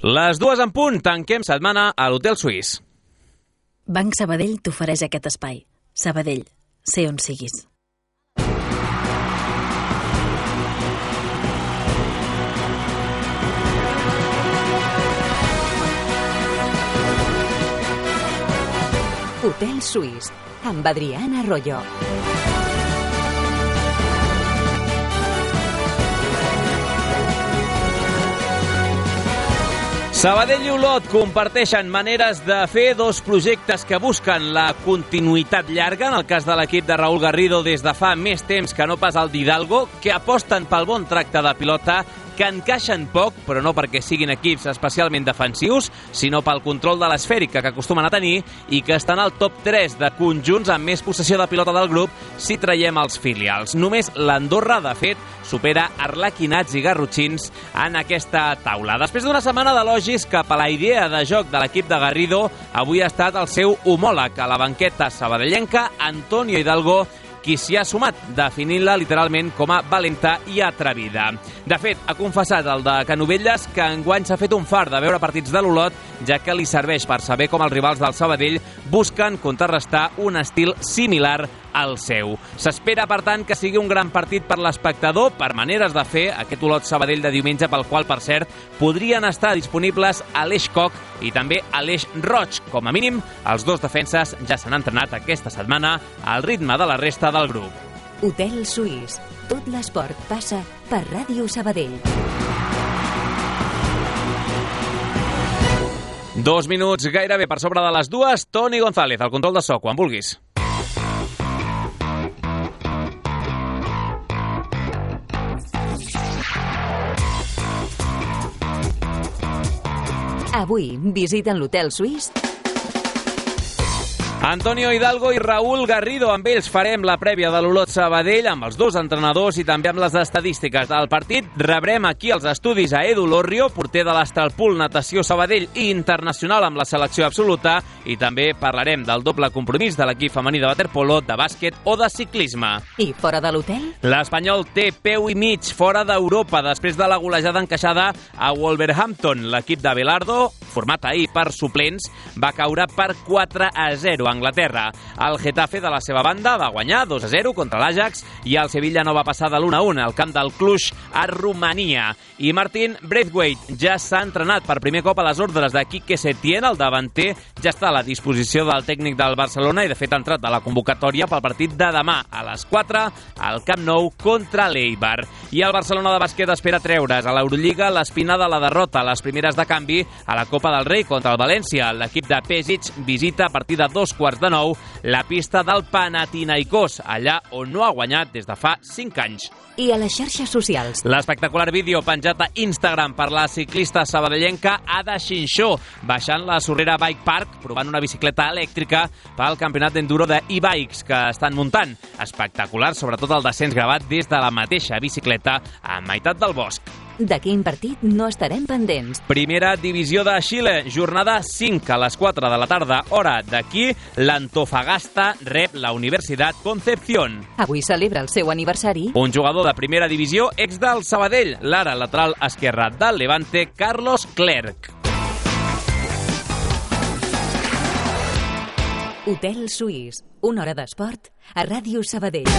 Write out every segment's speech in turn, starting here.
Les 2:00 tanquem setmana a l'Hotel Suís. Banc Sabadell t'ofereix aquest espai. Sabadell, sé on siguis. Hotel Suís, amb Adriana Arroyo. Sabadell i Olot comparteixen maneres de fer dos projectes que busquen la continuïtat llarga, en el cas de l'equip de Raúl Garrido des de fa més temps que no pas el d'Hidalgo, que aposten pel bon tracte de pilota, que encaixen poc, però no perquè siguin equips especialment defensius, sinó pel control de l'esfèrica que acostumen a tenir i que estan al top 3 de conjunts amb més possessió de pilota del grup si traiem els filials. Només l'Andorra, de fet, supera Arlequinats i Garrotxins en aquesta taula. Després d'una setmana d'elogis cap a la idea de joc de l'equip de Garrido, avui ha estat el seu homòleg a la banqueta sabadellenca, Antonio Hidalgo, qui s'hi ha sumat, definint-la literalment com a valenta i atrevida. De fet, ha confessat el de Canovelles que enguany s'ha fet un fart de veure partits de l'Olot, ja que li serveix per saber com els rivals del Sabadell busquen contrarrestar un estil similar al seu. S'espera, per tant, que sigui un gran partit per l'espectador, per maneres de fer, aquest Olot Sabadell de diumenge, pel qual, per cert, podrien estar disponibles Aleix Koch i també Aleix Roig. Com a mínim, els dos defenses ja s'han entrenat aquesta setmana al ritme de la resta del grup. Hotel Suís. Tot l'esport passa per Ràdio Sabadell. 2 minuts gairebé per sobre de les 2. Toni González, al control de so, quan vulguis. Avui visiten l'Hotel Suís Antonio Hidalgo i Raúl Garrido. Amb ells farem la prèvia de l'Olot Sabadell, amb els dos entrenadors i també amb les estadístiques del partit. Rebrem aquí als estudis a Edu Lorrio, porter de l'Astralpool Natació Sabadell i internacional amb la selecció absoluta, i també parlarem del doble compromís de l'equip femení de waterpolo, de bàsquet o de ciclisme. I fora de l'hotel? L'Espanyol té peu i mig fora d'Europa després de la golejada encaixada a Wolverhampton. L'equip de Belardo, format ahir per suplents, va caure per 4-0 a Anglaterra. El Getafe, de la seva banda, va guanyar 2-0 contra l'Ajax i el Sevilla no va passar de l'1-1 al camp del Cluj a Romania. I Martin Braithwaite ja s'ha entrenat per primer cop a les ordres de Quique Setién. El davanter ja està a la disposició del tècnic del Barcelona i de fet ha entrat a la convocatòria pel partit de demà a les 4 al Camp Nou contra l'Eibar. I el Barcelona de bàsquet espera treure's a l'Eurolliga l'espina de la derrota a les primeres de canvi a la Copa del Rei contra el València. L'equip de Pešić visita a partir de 8:45 la pista del Panathinaikos, allà on no ha guanyat des de fa 5 anys. I a les xarxes socials? L'espectacular vídeo penjat a Instagram per la ciclista sabadellenca Ada Xinxó, baixant la Sorrera Bike Park, provant una bicicleta elèctrica pel campionat d'enduro de e-bikes que estan muntant. Espectacular, sobretot el descens gravat des de la mateixa bicicleta a meitat del bosc. De quin partit no estarem pendents? Primera divisió de Xile, jornada 5 a les 4 de la tarda, hora d'aquí, l'Antofagasta rep la Universitat Concepción. Avui celebra el seu aniversari Un jugador de primera divisió, ex del Sabadell, l'ara lateral esquerre del Levante, Carlos Clerc. Hotel Suís, una hora d'esport a Ràdio Sabadell.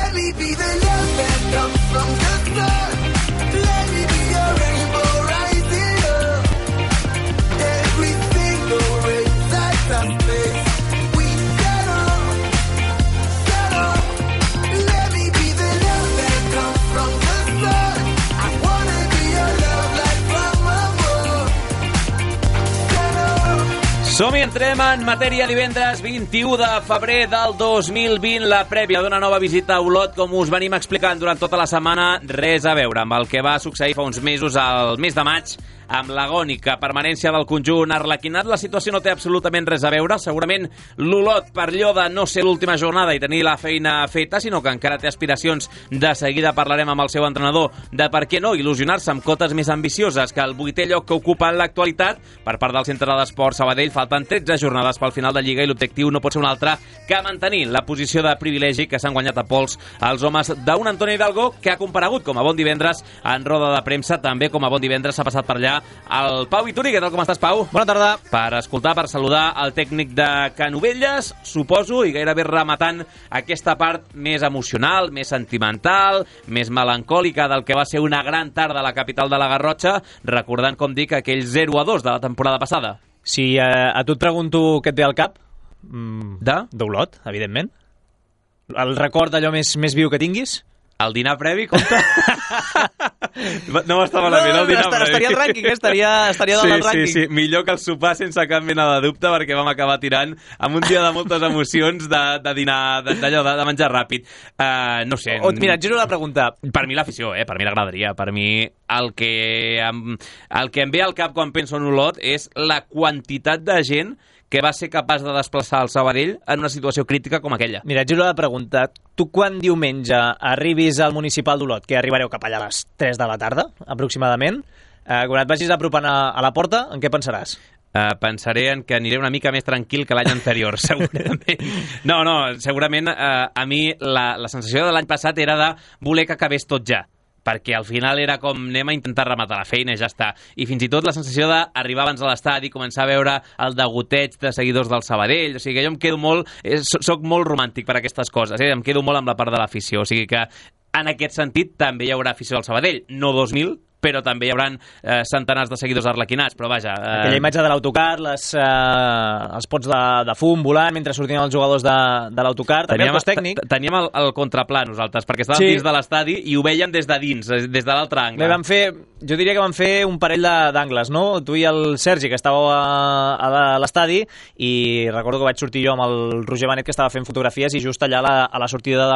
Som-hi, entrem en matèria divendres 21 de febrer del 2020, la prèvia d'una nova visita a Olot, com us venim explicant durant tota la setmana, res a veure amb el que va succeir fa uns mesos, al mes de maig, amb l'agònica permanència del conjunt arlequinat. La situació no té absolutament res a veure. Segurament l'Olot, per allò de no ser l'última jornada i tenir la feina feta, sinó que encara té aspiracions. De seguida parlarem amb el seu entrenador de per què no il·lusionar-se amb cotes més ambicioses que el 8è lloc que ocupa en l'actualitat. Per part del Centre d'Esport Sabadell falten 13 jornades pel final de Lliga i l'objectiu no pot ser un altre que mantenir la posició de privilegi que s'han guanyat a pols els homes d'un Antonio Hidalgo que ha comparegut com a Bon Divendres en roda de premsa. També com a Bon Divendres s'ha passat per allà ja el Pau Vituri. Què tal, com estàs, Pau? Bona tarda. Per escoltar, per saludar el tècnic de Canovelles, suposo, i gairebé rematant aquesta part més emocional, més sentimental, més melancòlica del que va ser una gran tarda a la capital de la Garrotxa, recordant, com dic, aquell 0-2 de la temporada passada. Si a tu et pregunto què et ve al cap, d'Olot, evidentment. El record d'allò més viu que tinguis? El dinar previ, compte? No m'està malament, el dinar previ. Estaria al rànquing, estaria dalt del rànquing. Sí, millor que el sopar sense cap mena de dubte, perquè vam acabar tirant amb un dia de moltes emocions de dinar, d'allò, de menjar ràpid. No sé. Mira, et giro la pregunta. Per mi l'afició, per mi l'agradaria. Per mi el que em ve al cap quan penso en Olot és la quantitat de gent que va ser capaç de desplaçar el Sabadell en una situació crítica com aquella. Mira, et giro la pregunta. Tu quan diumenge arribis al municipal d'Olot, que arribareu cap allà a les 3 de la tarda, aproximadament, quan et vagis apropant a la porta, en què pensaràs? Pensaré en que aniré una mica més tranquil que l'any anterior, segurament. No, segurament a mi la sensació de l'any passat era de voler que acabés tot ja, perquè al final era com anem a intentar rematar la feina i ja està. I fins i tot la sensació d'arribar abans a l'estadi, començar a veure el degoteig de seguidors del Sabadell, o sigui que jo em quedo molt, soc molt romàntic per aquestes coses, em quedo molt amb la part de l'afició, o sigui que en aquest sentit també hi haurà afició al Sabadell, no 2.000, però també hi haurà centenars de seguidors arlequinats, però vaja... Aquella imatge de l'autocar, els pots de fum volant mentre sortien els jugadors de l'autocar, també el cos tècnic. Teníem el contraplà nosaltres, perquè estàvem dins de l'estadi i ho veiem des de dins, des de l'altre angle. Jo diria que vam fer un parell d'angles, no? Tu i el Sergi, que estàveu a l'estadi, i recordo que vaig sortir jo amb el Roger Benet, que estava fent fotografies, i just allà a la sortida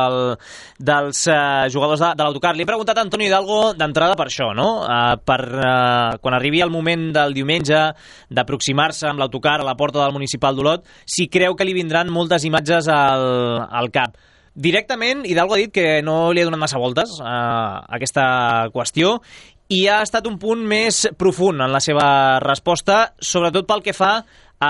dels jugadors de l'autocar. Li he preguntat a Antonio Hidalgo d'entrada per això, no? Quan arribi el moment del diumenge d'aproximar-se amb l'autocar a la porta del municipal d'Olot, si creu que li vindran moltes imatges al cap. Directament, Hidalgo ha dit que no li ha donat massa voltes a aquesta qüestió i ha estat un punt més profund en la seva resposta, sobretot pel que fa a...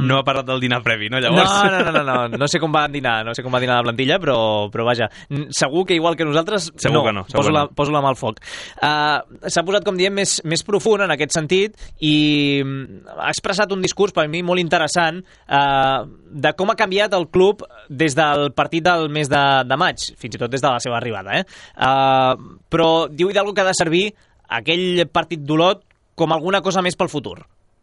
No ha parlat del dinar previ, no, llavors? No sé com va dinar la plantilla, però vaja, segur que igual que nosaltres, segur que no. Poso la mà al foc. S'ha posat, com diem, més profund en aquest sentit i ha expressat un discurs per mi molt interessant de com ha canviat el club des del partit del mes de maig, fins i tot des de la seva arribada. Però diu Hidalgo que ha de servir aquell partit d'Olot com alguna cosa més pel futur.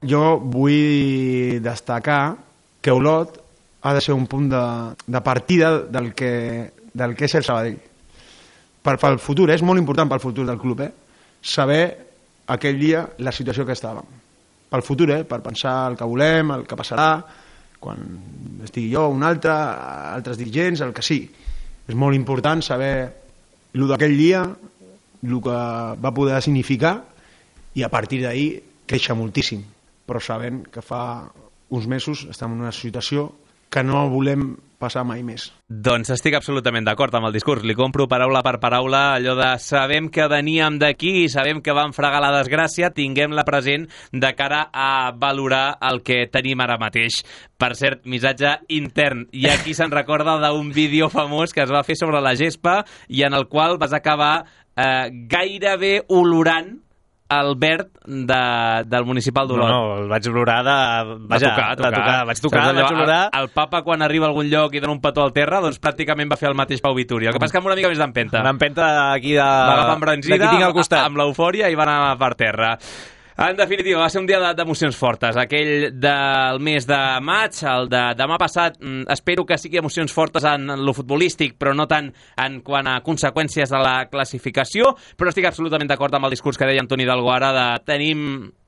Jo vull destacar que Olot ha de ser un punt de partida del que és el Sabadell. Pel futur, és molt important pel futur del club, saber aquell dia la situació que estàvem. Pel futur, per pensar el que volem, el que passarà, quan estigui jo, un altre, altres dirigents, el que sí. És molt important saber el d'aquell dia, el que va poder significar, i a partir d'ahir créixer moltíssim, però sabent que fa uns mesos estem en una situació que no volem passar mai més. Doncs estic absolutament d'acord amb el discurs. Li compro paraula per paraula allò de sabem que veníem d'aquí i sabem que vam fregar la desgràcia, tinguem-la present de cara a valorar el que tenim ara mateix. Per cert, missatge intern. Hi ha qui se'n recorda d'un vídeo famós que es va fer sobre la gespa i en el qual vas acabar gairebé olorant el verd del municipal d'Olot. No, el vaig olorar vaig olorar. El papa, quan arriba a algun lloc i dona un petó al terra, doncs pràcticament va fer el mateix Pau Vituri. El que passa que amb una mica més d'empenta. Una empenta aquí va agafar embranzida, tinc al costat, amb l'eufòria, i va anar per terra. En definitiva, va ser un dia d'emocions fortes. Aquell del mes de maig, el de demà passat, espero que sigui emocions fortes en lo futbolístic, però no tant en quant a conseqüències de la classificació, però estic absolutament d'acord amb el discurs que deia Antoni Hidalgo ara de tenim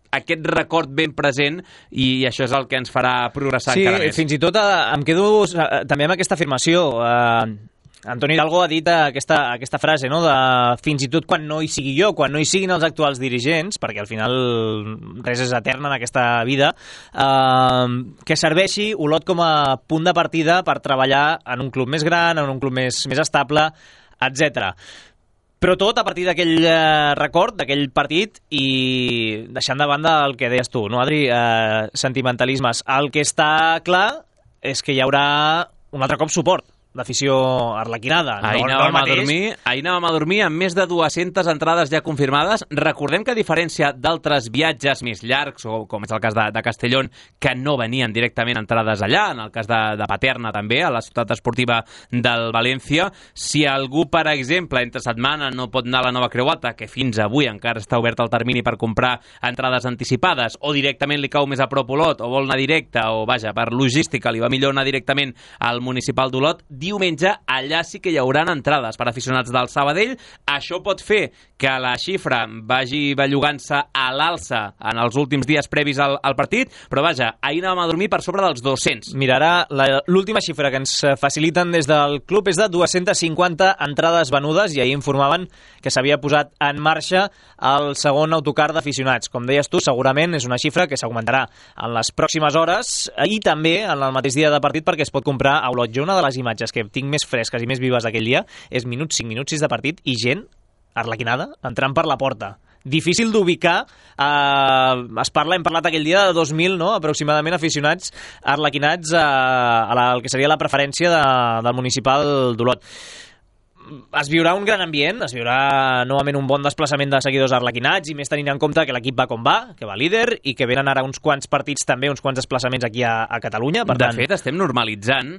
aquest record ben present i això és el que ens farà progressar encara més. Sí, fins i tot em quedo també amb aquesta afirmació. Antoni Hidalgo ha dit aquesta frase, no? De fins i tot quan no hi sigui jo, quan no hi siguin els actuals dirigents, perquè al final res és etern en aquesta vida, que serveixi Olot com a punt de partida per treballar en un club més gran, en un club més estable, etc. Però tot a partir d'aquell record, d'aquell partit, i deixant de banda el que deies tu, no, Adri? Sentimentalismes. El que està clar és que hi haurà un altre cop suport d'afició arlequinada. Ahir anàvem a dormir amb més de 200 entrades ja confirmades. Recordem que a diferència d'altres viatges més llargs, o com és el cas de Castellón, que no venien directament entrades allà, en el cas de Paterna també, a la ciutat esportiva del València, si algú, per exemple, entre setmana no pot anar a la Nova Creu Alta, que fins avui encara està obert el termini per comprar entrades anticipades, o directament li cau més a prop Olot, o vol anar directe, o vaja, per logística li va millor anar directament al municipal d'Olot, diumenge allà sí que hi haurà entrades per aficionats del Sabadell. Això pot fer que la xifra vagi bellugant-se a l'alça en els últims dies previs al partit, però vaja, ahir anàvem a dormir per sobre dels 200. Mirarà, l'última xifra que ens faciliten des del club és de 250 entrades venudes, i ahir informaven que s'havia posat en marxa el segon autocar d'aficionats. Com deies tu, segurament és una xifra que s'augmentarà en les pròximes hores i també en el mateix dia de partit, perquè es pot comprar a Olot. Jo una de les imatges que tinc més fresques i més vives d'aquell dia és 5 minuts 6 de partit i gent arlequinada entrant per la porta. Difícil d'ubicar, hem parlat aquell dia de 2.000, no?, aproximadament aficionats arlequinats al que seria la preferència del municipal d'Olot. Es viurà un gran ambient, es viurà novament un bon desplaçament de seguidors arlequinats, i més tenint en compte que l'equip va com va, que va líder, i que venen ara uns quants partits també, uns quants desplaçaments aquí a Catalunya. Per tant... De fet, estem normalitzant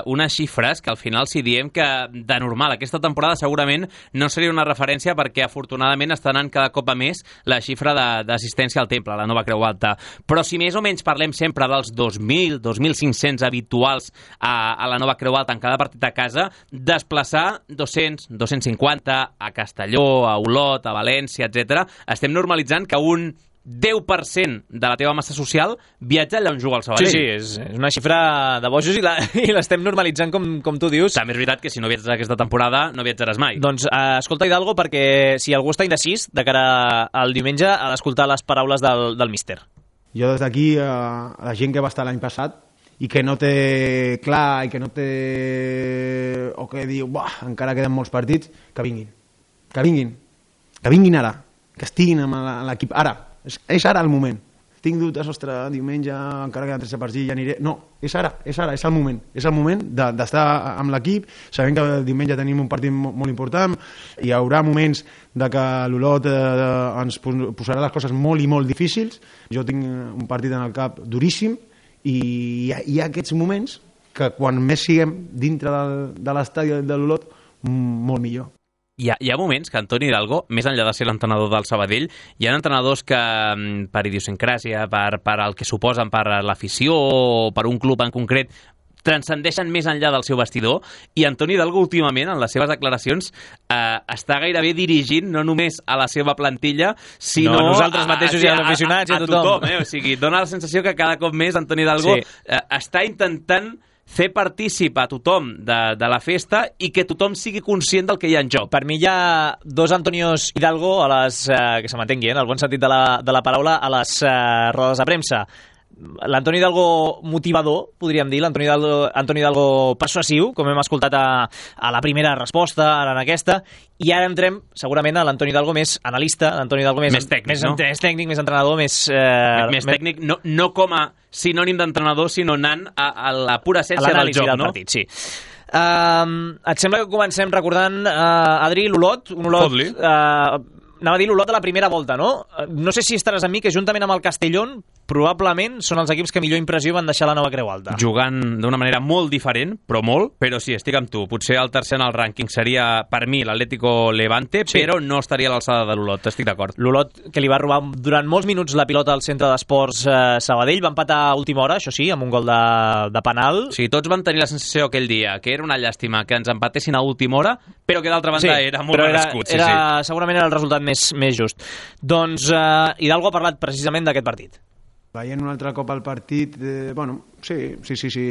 unes xifres que al final, si diem que de normal aquesta temporada segurament no seria una referència, perquè afortunadament està anant cada cop a més la xifra d'assistència al temple, a la Nova Creu Alta. Però si més o menys parlem sempre dels 2.000, 2.500 habituals a la Nova Creu Alta en cada partit a casa, desplaçar 200, 250 a Castelló, a Olot, a València, etc. Estem normalitzant que un 10% de la teva massa social viatja allà on juga el Sabadell. Sí, és una xifra de bojos i l'estem normalitzant, com tu dius. També és veritat que si no viatges aquesta temporada no viatjaràs mai. Doncs escolta, Hidalgo, perquè si algú està indecís de cara al diumenge ha d'escoltar les paraules del míster. Jo des d'aquí, a la gent que va estar l'any passat i que no té clar i que no té... o que diu, encara queden molts partits, que vinguin ara, que estiguin amb l'equip ara, és ara el moment. Tinc dubtes, ostres, diumenge encara queden 13 partits, ja aniré... No, és ara, és el moment d'estar amb l'equip, sabent que diumenge tenim un partit molt important, hi haurà moments de que l'Olot ens posarà les coses molt i molt difícils. Jo tinc un partit en el cap duríssim, i hi ha aquests moments que quan més siguem dintre de l'estadi de l'Olot, molt millor. Hi ha moments que Antoni Hidalgo, més enllà de ser l'entrenador del Sabadell, hi ha entrenadors que per idiosincràsia, per el que suposen per l'afició o per un club en concret, transcendeixen més enllà del seu vestidor, i Antoni Hidalgo últimament en les seves declaracions està gairebé dirigint no només a la seva plantilla, sinó a nosaltres mateixos i als aficionats i a tothom. O sigui, dona la sensació que cada cop més Antoni Hidalgo està intentant fer partícip a tothom de la festa i que tothom sigui conscient del que hi ha en joc. Per mi hi ha dos Antonios Hidalgo a les, que se m'entengui, en el bon sentit de la paraula, a les rodes de premsa. L'Antoni Hidalgo motivador, podríem dir, l'Antoni Hidalgo persuasiu, com hem escoltat a la primera resposta, ara en aquesta, i ara entrem segurament a l'Antoni Hidalgo més analista, l'Antoni Hidalgo més tècnic, no? Més tècnic, més entrenador, més tècnic, no com a sinònim d'entrenador, sinó anant a la pura essència del joc, del partit, sí. Et sembla que comencem recordant, Adri, l'Olot, un Olot... anava a dir l'Olot de la primera volta, no? No sé si estaràs amb mi, que juntament amb el Castellón probablement són els equips que millor impressió van deixar la Nova Creu Alta. Jugant d'una manera molt diferent, però sí, estic amb tu. Potser el tercer en el rànquing seria, per mi, l'Atlético Levante, sí, però no estaria a l'alçada de l'Olot, estic d'acord. L'Olot, que li va robar durant molts minuts la pilota al centre d'esports Sabadell, va empatar a última hora, això sí, amb un gol de penal. Sí, tots van tenir la sensació aquell dia que era una llàstima que ens empatessin a última hora, però que d'altra banda era molt merescut. Segurament era el resultat més just. Doncs Hidalgo ha parlat precisament d'aquest partit. Veient un altre cop el partit, sí,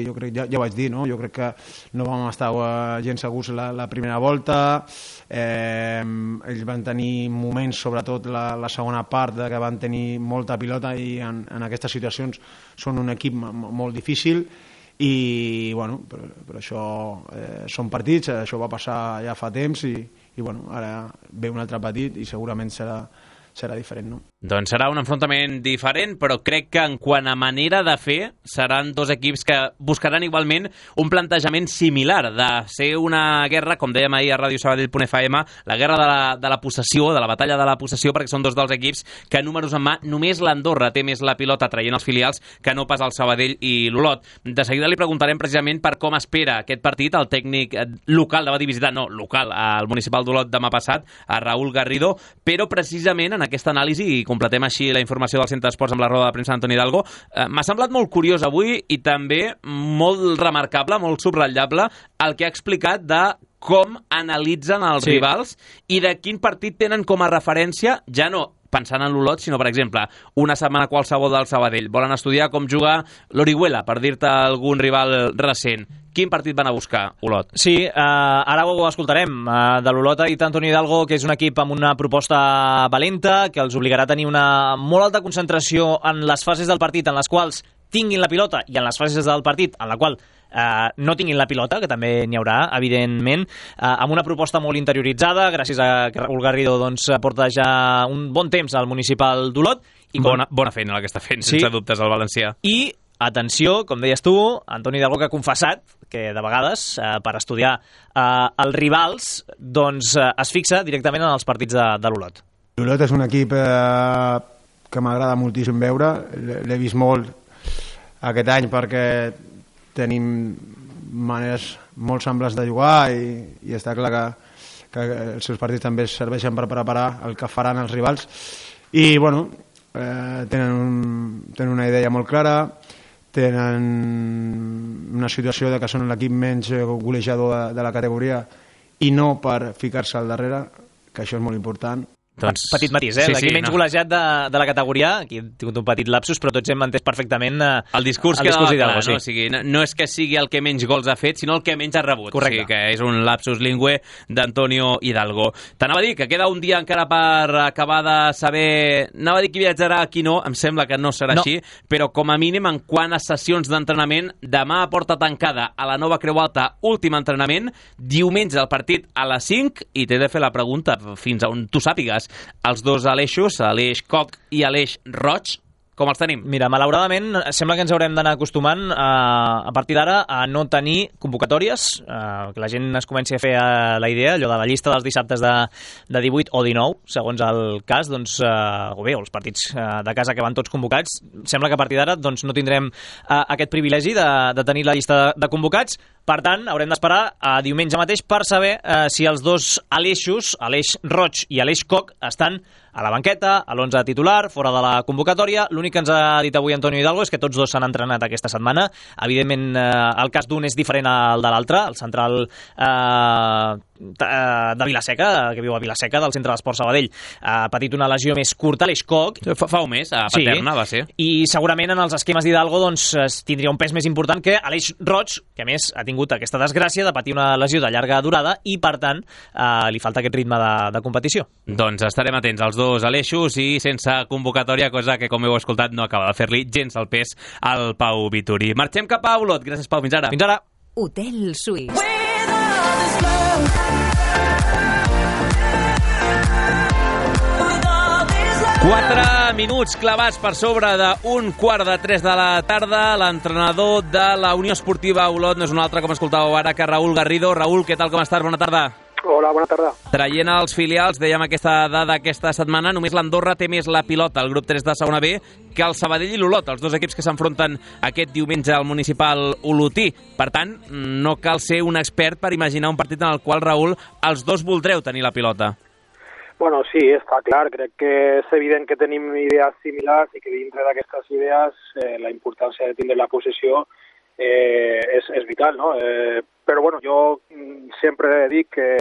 jo crec, ja ho vaig dir, no? Jo crec que no vam estar gens segurs la primera volta, ells van tenir moments, sobretot la segona part, que van tenir molta pilota, i en aquestes situacions són un equip molt difícil, i però això són partits, això va passar ja fa temps, i ara ve un altre partit i segurament serà diferent, no? Doncs serà un enfrontament diferent, però crec que en quant a manera de fer seran dos equips que buscaran igualment un plantejament similar, de ser una guerra, com dèiem ahir a Radio Sabadell.fm, la guerra de la possessió, de la batalla de la possessió, perquè són dos dels equips que números en mà, només l'Andorra té més la pilota traient els filials que no pas el Sabadell i l'Olot. De seguida li preguntarem precisament per com espera aquest partit el tècnic local, de va dir visitar, no, local, al municipal d'Olot demà passat, a Raúl Garrido, però precisament en aquesta anàlisi, i completem així la informació del Centre d'Esports amb la roda de premsa d'Antoni Hidalgo, m'ha semblat molt curiós avui i també molt remarcable, molt subratllable, el que ha explicat de com analitzen els rivals i de quin partit tenen com a referència, ja no pensant en l'Olot, sinó, per exemple, una setmana qualsevol del Sabadell. Volen estudiar com juga l'Orihuela, per dir-te algun rival recent. Quin partit van a buscar, Olot? Sí, ara ho escoltarem. De l'Olot ha dit Antoni Hidalgo que és un equip amb una proposta valenta, que els obligarà a tenir una molt alta concentració en les fases del partit en les quals tinguin la pilota i en les fases del partit en la qual no tinguin la pilota, que també n'hi haurà, evidentment, amb una proposta molt interioritzada, gràcies a que Raúl Garrido doncs, porta ja un bon temps al municipal d'Olot. I bona feina la que està fent, sense dubtes, el valencià. I, atenció, com deies tu, Antoni Hidalgo, que ha confessat que de vegades, per estudiar els rivals, doncs es fixa directament en els partits de l'Olot. L'Olot és un equip que m'agrada moltíssim veure, l'he vist molt aquest any perquè tenim maneres molt semblants de jugar i està clar que els seus partits també serveixen per preparar el que faran els rivals i bueno, tenen una idea molt clara, tenen una situació de que són l'equip menys golejador de la categoria i no per ficar-se al darrere, que això és molt important. Doncs, petit matís, l'equip menys golejat de la categoria, aquí hem tingut un petit lapsus, però tots hem entès perfectament el discurs d'Hidalgo. No? O sigui, no és que sigui el que menys gols ha fet, sinó el que menys ha rebut. Correcte. O sigui, que és un lapsus lingüe d'Antonio Hidalgo. T'anava a dir que queda un dia encara per acabar de saber... Anava a dir qui viatjarà, qui no, em sembla que no serà així, però com a mínim en quant a sessions d'entrenament, demà a porta tancada a la Nova Creu Alta, últim entrenament, diumenge el partit a les 5, i t'he de fer la pregunta fins a on tu sàpigues. Els dos Aleixos, Aleix Coc i Aleix Roig, com els tenim? Mira, malauradament, sembla que ens haurem d'anar acostumant a partir d'ara a no tenir convocatòries, que la gent es comenci a fer la idea, allò de la llista dels dissabtes de 18 o 19, segons el cas, doncs, o bé, els partits de casa que van tots convocats, sembla que a partir d'ara doncs, no tindrem aquest privilegi de tenir la llista de convocats. Per tant, haurem d'esperar a diumenge mateix per saber si els dos Aleixos, Aleix Roig i Aleix Coc, estan a la banqueta, a l'11 titular, fora de la convocatòria. L'únic que ens ha dit avui Antonio Hidalgo és que tots dos s'han entrenat aquesta setmana. Evidentment, el cas d'un és diferent al de l'altre. El central de Vilaseca, que viu a Vilaseca, del Centre d'Esports Sabadell, ha patit una lesió més curta, l'Eix Coc. Fa un mes, a Paterna, va ser. I segurament en els esquemes d'Hidalgo doncs, tindria un pes més important que Aleix Roig, que a més ha tingut aquesta desgràcia de patir una lesió de llarga durada i, per tant, li falta aquest ritme de competició. Doncs estarem atents als dos Aleixos i sense convocatòria, cosa que, com heu escoltat, no acaba de fer-li gens el pes al Pau Vituri. Marxem cap a Olot. Gràcies, Pau. Fins ara. Fins ara. Hotel Suís. 4 minuts clavats per sobre d'un 2:45 de la tarda. L'entrenador de la Unió Esportiva Olot no és un altre, com escoltàveu ara, que Raúl Garrido. Raúl, què tal, com estàs? Bona tarda. Hola, bona tarda. Traient els filials, dèiem aquesta dada aquesta setmana, només l'Andorra té més la pilota, el grup 3 de segona B, que el Sabadell i l'Olot, els dos equips que s'enfronten aquest diumenge al municipal olotí. Per tant, no cal ser un expert per imaginar un partit en el qual, Raúl, els dos voldreu tenir la pilota. Bueno, sí, està clar. Crec que és evident que tenim idees similars i que dintre d'aquestes idees la importància de tindre la possessió és vital, no? Però bueno, jo sempre dic que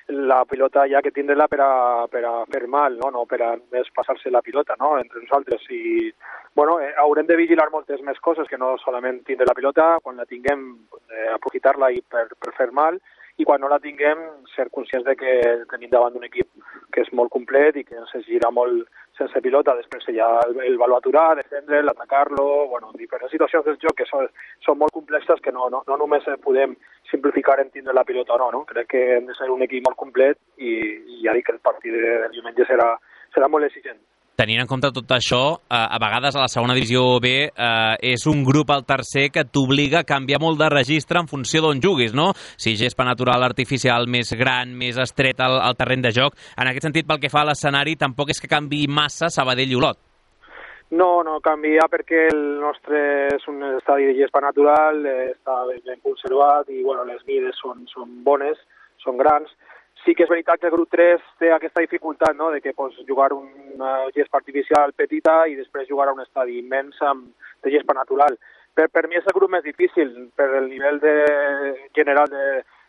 la pilota hi ha que tindre-la per a fer mal, no per a més passar-se la pilota, no? Entre nosaltres. I bueno, haurem de vigilar moltes més coses que no solament tindre la pilota, quan la tinguem aprofitar-la i per fer mal, i quan no la tinguem ser conscients de que tenim davant d'un equip que és molt complet i que ens gira molt sense pilota. Després hi ha el valor aturar, defendre'l, atacar-lo, bueno, diferents situacions del joc que són molt complexes que no només podem simplificar en tindre la pilota o no. Crec que hem de ser un equip molt complet i ja dic que el partit del diumenge serà serà molt exigent. Tenint en compte tot això, a vegades a la segona divisió B és un grup al tercer que t'obliga a canviar molt de registre en funció d'on juguis, no? Si gespa natural, artificial, més gran, més estret al terreny de joc. En aquest sentit, pel que fa a l'escenari, tampoc és que canviï massa Sabadell i Olot. No canvia perquè el nostre és un estadi de gespa natural, està ben conservat i bueno, les mides són bones, són grans. Sí que és veritat que el grup 3 té aquesta dificultat, no?, de que pots jugar una gespa artificial petita i després jugar a un estadi immens de gespa natural. Per mi és el grup més difícil, per el nivell general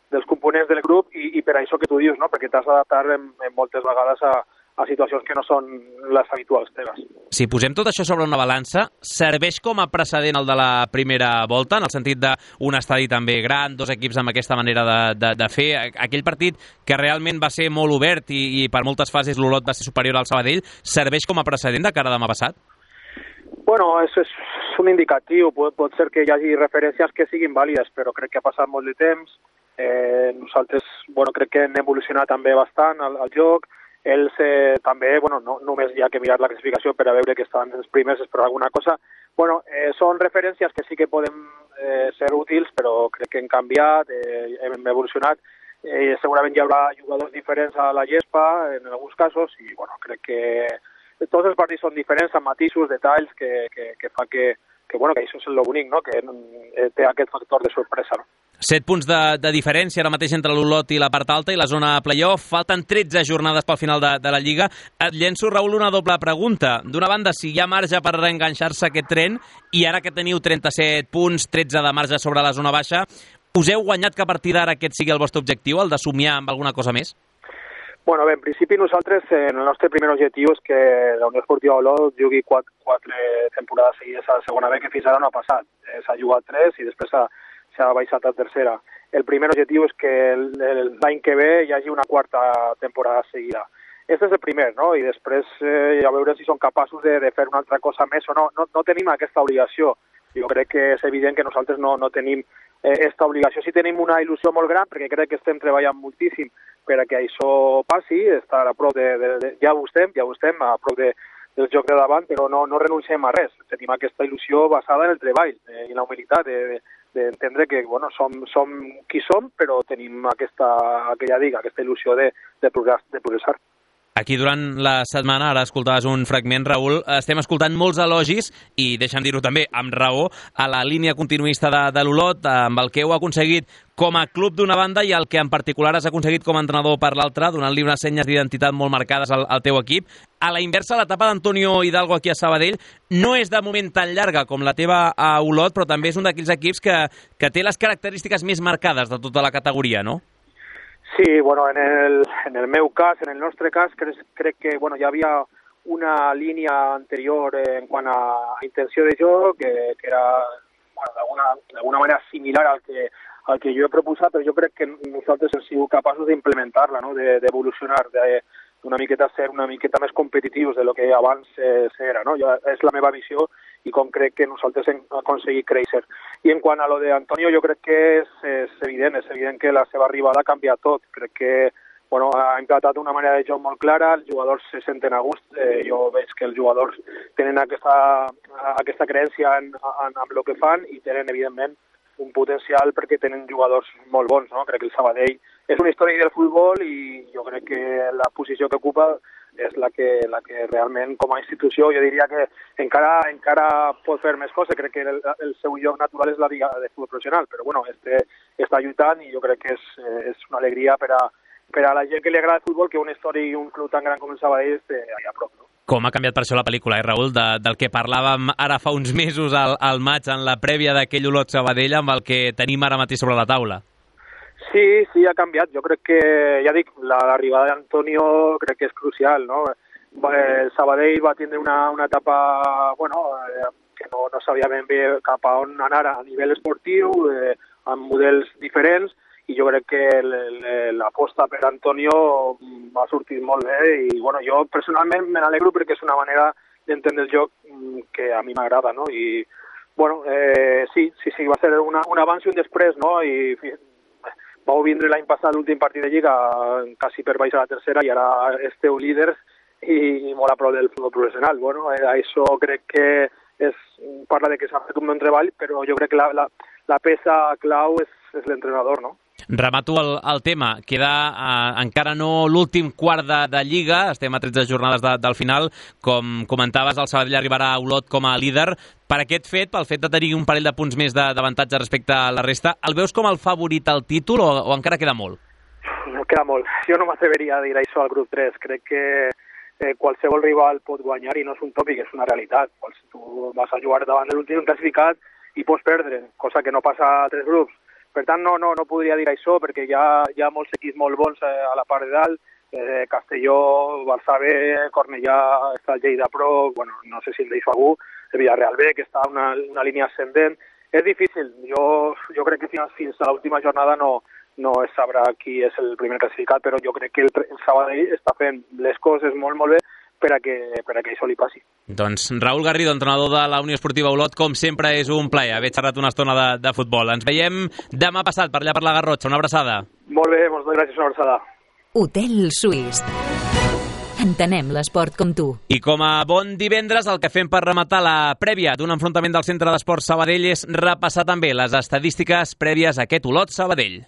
dels components del grup i per això que tu dius, no?, perquè t'has d'adaptar en moltes vegades a situacions que no són les habituals teves. Si posem tot això sobre una balança, serveix com a precedent el de la primera volta, en el sentit d'un estadi també gran, dos equips amb aquesta manera de fer. Aquell partit que realment va ser molt obert i per moltes fases l'Olot va ser superior al Sabadell, serveix com a precedent de cara a demà passat? Bueno, és un indicatiu. Pot ser que hi hagi referències que siguin vàlides, però crec que ha passat molt de temps. Nosaltres, crec que hem evolucionat també bastant al joc. Ells també, no només hi ha que mirar la classificació per a veure que estan els primers per alguna cosa. Són referències que sí que poden ser útils, però crec que hem canviat, hem evolucionat. Segurament hi haurà jugadors diferents a la gespa, en alguns casos, i crec que tots els partits són diferents, amb matisos, detalls, que fa que això és el bonic, no?, que té aquest factor de sorpresa, no? 7 punts de diferència ara mateix entre l'Olot i la part alta i la zona playoff. Falten 13 jornades pel final de la Lliga. Et llenço, Raül, una doble pregunta. D'una banda, si hi ha marge per reenganxar-se aquest tren, i ara que teniu 37 punts, 13 de marge sobre la zona baixa, us heu guanyat que a partir d'ara aquest sigui el vostre objectiu, el de somiar amb alguna cosa més? Bé, en principi nosaltres, el nostre primer objectiu és que la Unió Esportiva Olot jugui 4 temporades seguides a la segona B, que fins ara no ha passat. S'ha jugat 3 i després s'ha baixat a tercera. El primer objectiu és que l'any que ve hi hagi una 4a temporada seguida. Aquest és el primer, no? I després a veure si són capaços de fer una altra cosa més o no. No tenim aquesta obligació. Jo crec que és evident que nosaltres no tenim aquesta obligació. Sí tenim una il·lusió molt gran, perquè crec que estem treballant moltíssim per a que això passi, estar a prop ja ho estem, a prop del joc de davant, però no renunciem a res. Tenim aquesta il·lusió basada en el treball i en la humilitat d'entendre que som qui som, però tenim aquesta il·lusió de progressar. Aquí durant la setmana, ara escoltaves un fragment, Raül, estem escoltant molts elogis, i deixa'm dir-ho també, amb raó, a la línia continuista de l'Olot, amb el que heu aconseguit com a club d'una banda i el que en particular has aconseguit com a entrenador per l'altra, donant-li unes senyes d'identitat molt marcades al teu equip. A la inversa, l'etapa d'Antonio Hidalgo aquí a Sabadell no és de moment tan llarga com la teva a Olot, però també és un d'aquells equips que té les característiques més marcades de tota la categoria, no? Sí, en el meu cas, en el nostre cas, crec que hi havia una línia anterior en quant a intenció de joc, que era d'alguna manera similar al que jo he proposat, però jo crec que nosaltres hem sigut capaços d'implementar-la, no?, d'evolucionar, d'una miqueta ser una miqueta més competitius de lo que abans s'era, no? És la meva visió i com crec que nosaltres hem aconseguit créixer. I en quant a lo d'Antonio, jo crec que és evident que la seva arribada ha canviat tot. Crec que ha implantat una manera de joc molt clara, els jugadors se senten a gust, jo veig que els jugadors tenen aquesta creença en el que fan i tenen, evidentment, un potencial perquè tenen jugadors molt bons, no? Crec que el Sabadell és un històric del futbol i jo crec que la posició que ocupa és la que realment, com a institució, jo diria que encara pot fer més coses. Crec que el seu lloc natural és la Lliga de Futbol Professional, però està lluitant i jo crec que és una alegria per a la gent que li agrada el futbol que un històric i un club tan gran com el Sabadell esté allà a prop, no? Com ha canviat per això la pel·lícula, Raül, del que parlàvem ara fa uns mesos al maig, en la prèvia d'aquell Olot Sabadell, amb el que tenim ara mateix sobre la taula? Sí, ha canviat. Jo crec que, ja dic, l'arribada d'Antonio crec que és crucial, no? El Sabadell va tindre una etapa, que no sabia ben bé cap a on anar a nivell esportiu, amb models diferents, i jo crec que l'aposta per Antonio va sortir molt bé i jo personalment me n'alegro perquè és una manera d'entendre el joc que a mi m'agrada, no? I sí, va ser un abans i un després, no? I vau vindre l'any passat l'últim partit de Lliga quasi per baix a la tercera i ara esteu líders i molt a prop del futbol professional. Bueno, això crec que parla de que s'ha fet un bon treball, però jo crec que la peça clau és l'entrenador, no? Remato el tema. Queda encara no l'últim quart de Lliga, estem a 13 jornades del final. Com comentaves, el Sabadell arribarà a Olot com a líder. Per aquest fet, pel fet de tenir un parell de punts més d'avantatge respecte a la resta, el veus com el favorit al títol o encara queda molt? No queda molt. Jo no m'atreveria a dir això al grup 3. Crec que qualsevol rival pot guanyar i no és un tòpic, és una realitat. Tu vas a jugar davant de l'últim classificat i pots perdre, cosa que no passa a altres grups. Per tant, no podria dir això, perquè hi ha molts equips molt bons a la part de dalt, Castelló, Barça B, Cornellà, està el Lleida Pro, bueno, no sé si el deixo algú, el Villarreal B, que està en una línia ascendent. És difícil, jo crec que fins a l'última jornada no es sabrà qui és el primer classificat, però jo crec que el Sabadell està fent les coses molt, molt bé per a que això li passi. Doncs Raúl Garrido, entrenador de la Unió Esportiva Olot, com sempre és un plaer haver xerrat una estona de futbol. Ens veiem demà passat per allà per la Garrotxa. Una abraçada. Molt bé, moltes gràcies, una abraçada. Hotel Suís. Entenem l'esport com tu. I com a bon divendres, el que fem per rematar la prèvia d'un enfrontament del Centre d'Esports Sabadell és repassar també les estadístiques prèvies a aquest Olot Sabadell.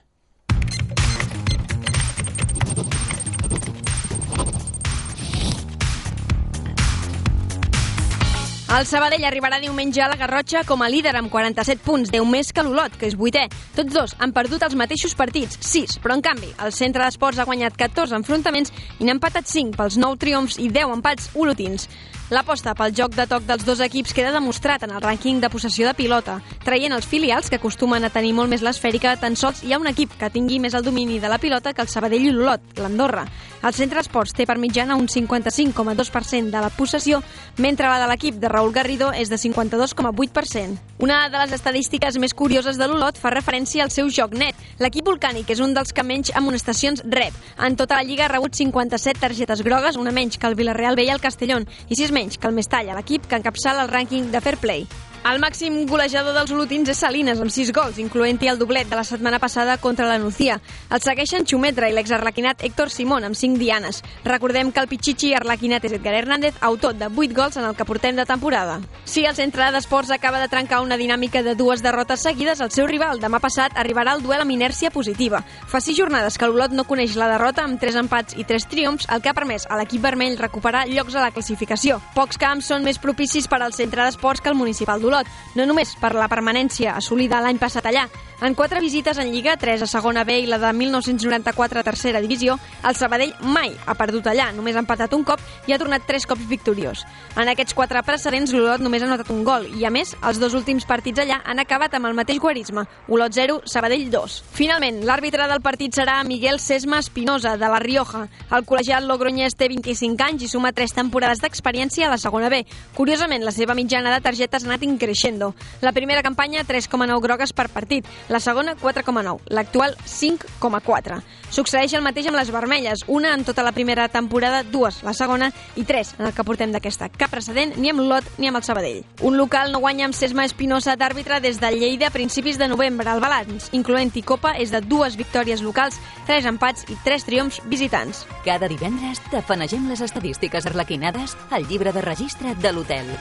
El Sabadell arribarà diumenge a la Garrotxa com a líder amb 47 punts, 10 més que l'Olot, que és 8è. Tots dos han perdut els mateixos partits, 6, però en canvi el Centre d'Esports ha guanyat 14 enfrontaments i n'ha empatat 5 pels 9 triomfs i 10 empats olotins. L'aposta pel joc de toc dels dos equips queda demostrat en el rànquing de possessió de pilota. Traient els filials, que acostumen a tenir molt més l'esfèrica, tan sols hi ha un equip que tingui més el domini de la pilota que el Sabadell i l'Olot, l'Andorra. El Centre d'Esports té per mitjana un 55,2% de la possessió, mentre la de l'equip de Raúl Garrido és de 52,8%. Una de les estadístiques més curioses de l'Olot fa referència al seu joc net. L'equip volcànic és un dels que menys amonestacions rep. En tota la Lliga ha rebut 57 targetes grogues, una menys que el Villarreal B i el Castellón, i 6 menys que el Mestalla, l'equip que encapçala el rànquing de Fair Play. El màxim golejador dels olotins és Salines, amb 6 gols, incloent-hi el doblet de la setmana passada contra la Nucía. El segueixen Xumetra i l'exarlequinat Héctor Simón, amb 5 dianes. Recordem que el pitxitxi arlequinat és Edgar Hernández, autor de 8 gols en el que portem de temporada. Si el Centre d'Esports acaba de trencar una dinàmica de 2 derrotes seguides, el seu rival demà passat arribarà al duel amb inèrcia positiva. Fa 6 jornades que l'Olot no coneix la derrota, amb 3 empats i 3 triomfs, el que ha permès a l'equip vermell recuperar llocs a la classificació. Pocs camps són més propicis per al Centre d'Esports que el municipal d'Olot, no només per la permanència assolida l'any passat allà. En 4 visites en Lliga, 3 a segona B i la de 1994 a tercera divisió, el Sabadell mai ha perdut allà, només ha empatat un cop i ha tornat 3 cops victoriós. En aquests 4 precedents, l'Olot només ha notat un gol i, a més, els 2 últims partits allà han acabat amb el mateix guarisme, Olot 0, Sabadell 2. Finalment, l'àrbitre del partit serà Miguel Sesma Espinosa, de La Rioja. El col·legiat logroñès té 25 anys i suma 3 temporades d'experiència a la segona B. Curiosament, la seva mitjana de targetes ha anat increixendo. La primera campanya, 3,9 grogues per partit. La segona, 4,9. L'actual, 5,4. Succeeix el mateix amb les vermelles, una en tota la primera temporada, 2 la segona i 3 en el que portem d'aquesta. Cap precedent ni amb l'Olot ni amb el Sabadell. Un local no guanya amb Sesma Espinosa d'àrbitre des de Lleida a principis de novembre. El balanç, incloent-hi Copa, és de 2 victòries locals, 3 empats i 3 triomfs visitants. Cada divendres tafanegem les estadístiques arlequinades al llibre de registre de l'hotel.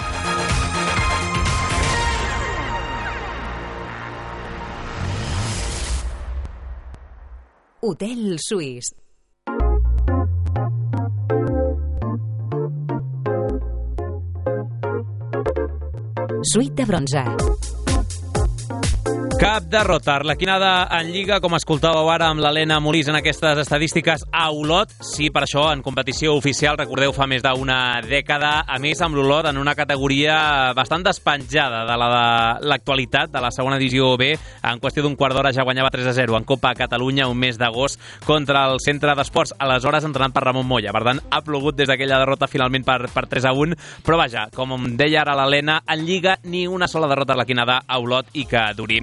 Hotel Suís. Suite de bronze. Cap derrota arlequinada en Lliga, com escoltàveu ara amb l'Helena Molís en aquestes estadístiques a Olot. Sí, per això, en competició oficial, recordeu, fa més d'una dècada, a més amb l'Olot en una categoria bastant despenjada de la de l'actualitat, de la segona divisió B. En qüestió d'un quart d'hora ja guanyava 3-0 en Copa a Catalunya un mes d'agost contra el Centre d'Esports, aleshores entrenat per Ramon Moya. Per tant, ha plogut des d'aquella derrota finalment per 3-1, però vaja, com deia ara l'Helena, en Lliga ni una sola derrota arlequinada a Olot i que duri.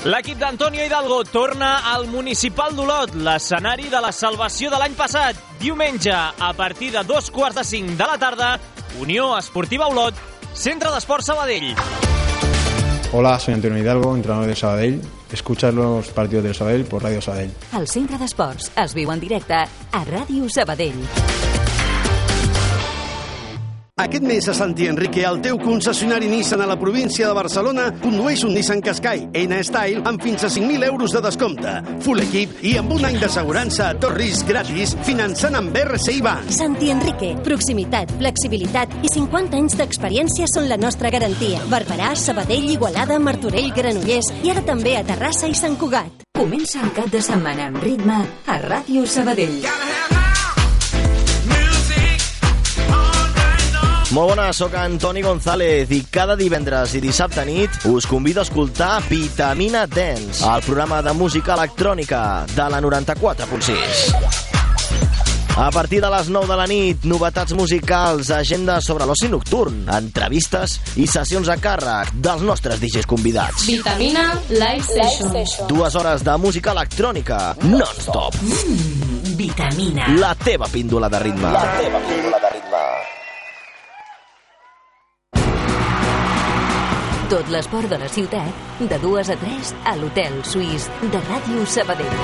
L'equip d'Antonio Hidalgo torna al Municipal d'Olot, l'escenari de la salvació de l'any passat. Diumenge, a partir de 4:45 de la tarda, Unió Esportiva Olot, Centre d'Esports Sabadell. Hola, soy Antonio Hidalgo, entrenador de Sabadell. Escuchar los partidos del Sabadell por Radio Sabadell. El Centre d'Esports es viu en directe a Ràdio Sabadell. Aquest mes a Santi Enrique, el teu concessionari Nissan a la província de Barcelona, condueix un Nissan Qashqai N-Style amb fins a 5.000 euros de descompte. Full equip i amb un any d'assegurança a tot risc gratis, finançant amb RCI Bank. Santi Enrique, proximitat, flexibilitat i 50 anys d'experiència són la nostra garantia. Barberà, Sabadell, Igualada, Martorell, Granollers i ara també a Terrassa i Sant Cugat. Comença el cap de setmana amb ritme a Ràdio Sabadell. Molt bona, sóc Antoni González i cada divendres i dissabte nit us convido a escoltar Vitamina Dance, el programa de música electrònica de la 94.6. A partir de les 9 de la nit, novetats musicals, agenda sobre l'oci nocturn, entrevistes i sessions a càrrec dels nostres DJs convidats. Vitamina Live Session. 2 hores de música electrònica non-stop. Vitamina. La teva píndola de ritme. La teva píndola de ritme. Tot l'esport de la ciutat, de 2 a 3 a l'Hotel Suís de Ràdio Sabadell.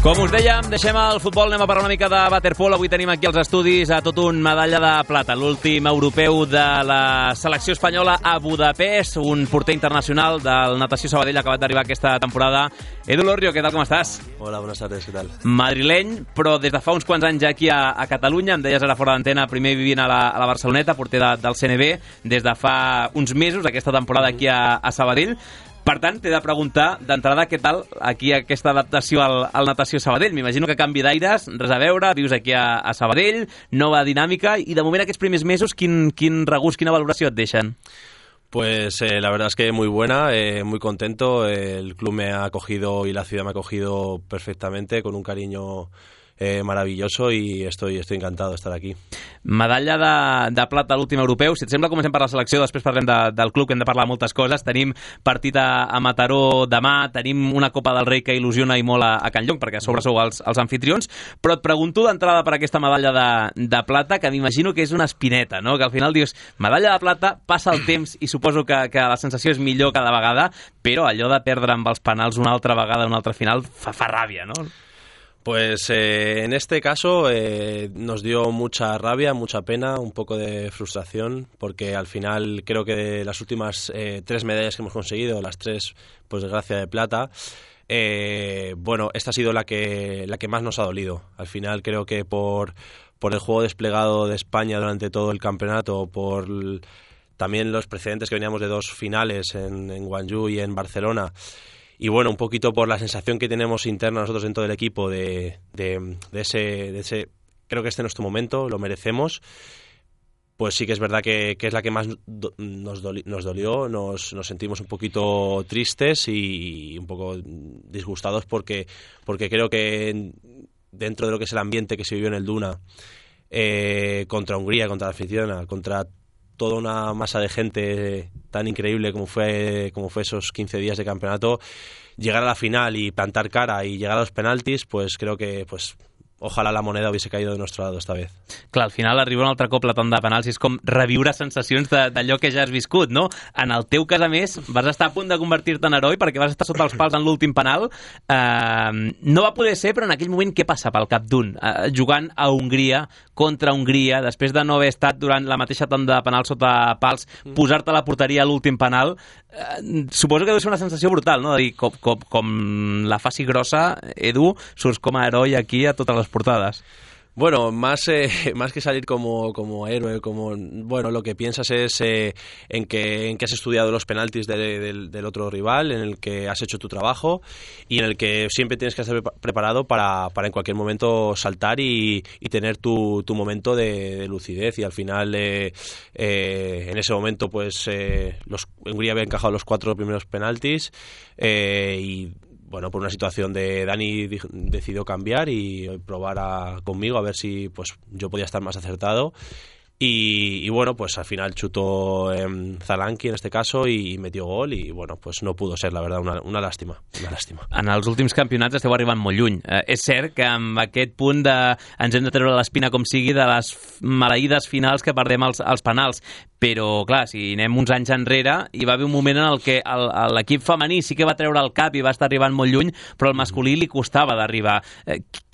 Com us dèiem, deixem el futbol, anem a parlar una mica de waterpolo. Avui tenim aquí als estudis a tot un medalla de plata, l'últim europeu de la selecció espanyola a Budapest, un porter internacional del Natació Sabadell acabat d'arribar aquesta temporada. Edu Lorrio, què tal, com estàs? Hola, buenas tardes, què tal? Madrileny, però des de fa uns quants anys ja aquí a Catalunya, em deies ara fora d'antena, primer vivint a la Barceloneta, porter del CNB, des de fa uns mesos, aquesta temporada aquí a Sabadell. Per tant, t'he de preguntar d'entrada què tal aquí aquesta adaptació al Natació Sabadell. M'imagino que canvi d'aires, res a veure, vius aquí a Sabadell, nova dinàmica, i de moment aquests primers mesos quin regust, quina valoració et deixen? Pues la verdad es que muy buena, muy contento. El club me ha acogido y la ciudad me ha acogido perfectamente, con un cariño maravilloso, i estoy encantado de estar aquí. Medalla de plata a l'últim europeu. Si et sembla, comencem per la selecció, després parlem del club, que hem de parlar moltes coses. Tenim partit a Mataró demà, tenim una Copa del Rei que il·lusiona i molt a Can Llong, perquè a sobre sou els anfitrions, però et pregunto d'entrada per aquesta medalla de plata, que m'imagino que és una espineta, no? Que al final dius, medalla de plata, passa el temps i suposo que la sensació és millor cada vegada, però allò de perdre amb els penals una altra vegada, una altra final, fa ràbia, no? Pues en este caso nos dio mucha rabia, mucha pena, un poco de frustración, porque al final creo que de las últimas 3 medallas que hemos conseguido, las 3, pues desgracia, de plata, bueno, esta ha sido la que más nos ha dolido. Al final creo que por el juego desplegado de España durante todo el campeonato, por también los precedentes que veníamos de 2 finales en Guangzhou y en Barcelona, y bueno, un poquito por la sensación que tenemos interna nosotros dentro del equipo de ese, creo que este es nuestro momento, lo merecemos, pues sí que es verdad que es la que más nos dolió, nos sentimos un poquito tristes y un poco disgustados porque creo que dentro de lo que es el ambiente que se vivió en el Duna, contra Hungría, contra la afición, contra toda una masa de gente tan increíble como fue esos 15 días de campeonato, llegar a la final y plantar cara y llegar a los penaltis, pues creo que ojalà la moneda hubiese caído de nuestro lado esta vez. Clar, al final arriba un altre cop la tanda de penals i és com reviure sensacions d'allò que ja has viscut, no? En el teu cas, a més, vas estar a punt de convertir-te en heroi perquè vas estar sota els pals en l'últim penal. No va poder ser, però en aquell moment què passa pel cap d'un? Jugant a Hongria, contra Hongria, després de no haver estat durant la mateixa tanda de penal sota pals, posar-te a la porteria a l'últim penal, suposo que deu ser una sensació brutal, no? De dir, com la faci grossa, Edu, surts com a heroi aquí a totes les portadas. Bueno, más que salir como héroe, bueno, lo que piensas es en que has estudiado los penaltis del otro rival, en el que has hecho tu trabajo y en el que siempre tienes que estar preparado para en cualquier momento saltar y tener tu momento de lucidez. Y al final, en ese momento, pues Hungría había encajado los 4 primeros penaltis y bueno, por una situación de Dani decidió cambiar y probar conmigo a ver si pues yo podía estar más acertado. Y bueno, pues al final chutó Zalanqui en este caso i metió gol i bueno, pues no pudo ser, la verdad, una làstima. En els últims campionats esteu arribant molt lluny. És cert que amb aquest punt de ens hem de treure l'espina com sigui de les maleïdes finals que perdem als penals, però clar, si anem uns anys enrere hi va haver un moment en el que l'equip femení sí que va treure el cap i va estar arribant molt lluny, però al masculí li costava d'arribar.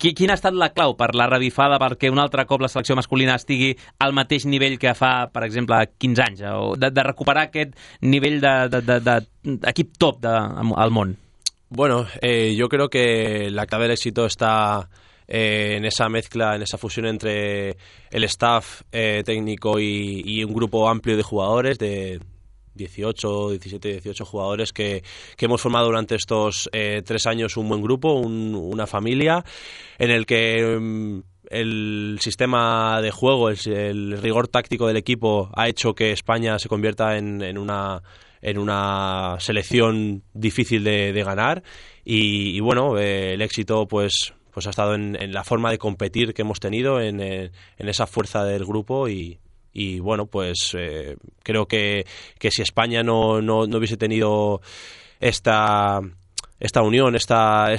Quina ha estat la clau per la revifada perquè un altre cop la selecció masculina estigui al mateix nivell que fa, per exemple, 15 anys, o de recuperar aquest nivell d'equip top al món? Bueno, yo creo que la clave del éxito está en esa mezcla, en esa fusión entre el staff técnico y un grupo amplio de jugadores, de 17, 18 jugadores que hemos formado durante estos 3 años un buen grupo, una familia, en el que el sistema de juego, el rigor táctico del equipo ha hecho que España se convierta en una selección difícil de ganar y bueno, el éxito pues ha estado en la forma de competir que hemos tenido, en esa fuerza del grupo y bueno, pues creo que si España no hubiese tenido esta unión, esta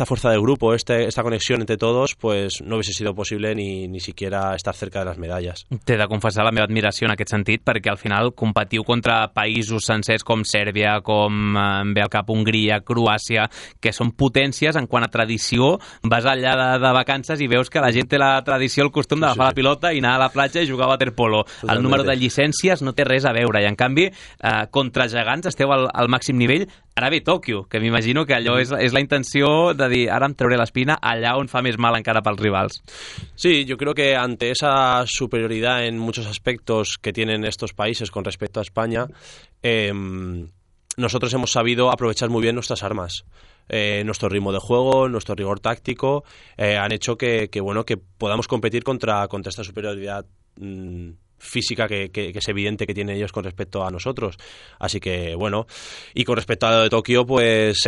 fuerza del grupo, esta conexión entre todos, pues no hubiese sido posible ni siquiera estar cerca de las medallas. T'he de confessar la meva admiració en aquest sentit, perquè al final competiu contra països sencers com Sèrbia, com ve al cap Hongria, Croàcia, que són potències en quant a tradició. Vas allà de vacances i veus que la gent té la tradició, el costum d'agafar la pilota i anar a la platja i jugar a waterpolo. El número de llicències no té res a veure i en canvi contra gegants esteu al màxim nivell. Ara ve Tòquio, que m'imagino que allò és la intenció de dir ara em trauré l'espina allà on fa més mal encara pels rivals. Sí, yo creo que ante esa superioridad en muchos aspectos que tienen estos países con respecto a España, nosotros hemos sabido aprovechar muy bien nuestras armas. Nuestro ritmo de juego, nuestro rigor táctico han hecho que podamos competir contra esta superioridad física que es evidente que tienen ellos con respecto a nosotros. Así que bueno, y con respecto a lo de Tokio, pues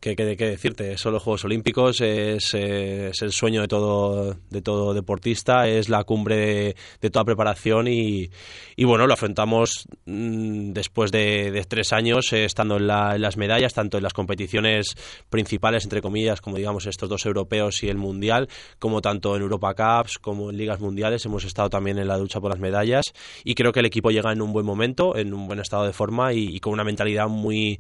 ¿qué decirte? Son los Juegos Olímpicos, es el sueño de todo deportista, es la cumbre de toda preparación y bueno, lo afrontamos después de 3 años estando en las medallas, tanto en las competiciones principales, entre comillas, como digamos estos 2 europeos y el mundial, como tanto en Europa Cups como en ligas mundiales. Hemos estado también en la lucha por las medallas y creo que el equipo llega en un buen momento, en un buen estado de forma y con una mentalidad muy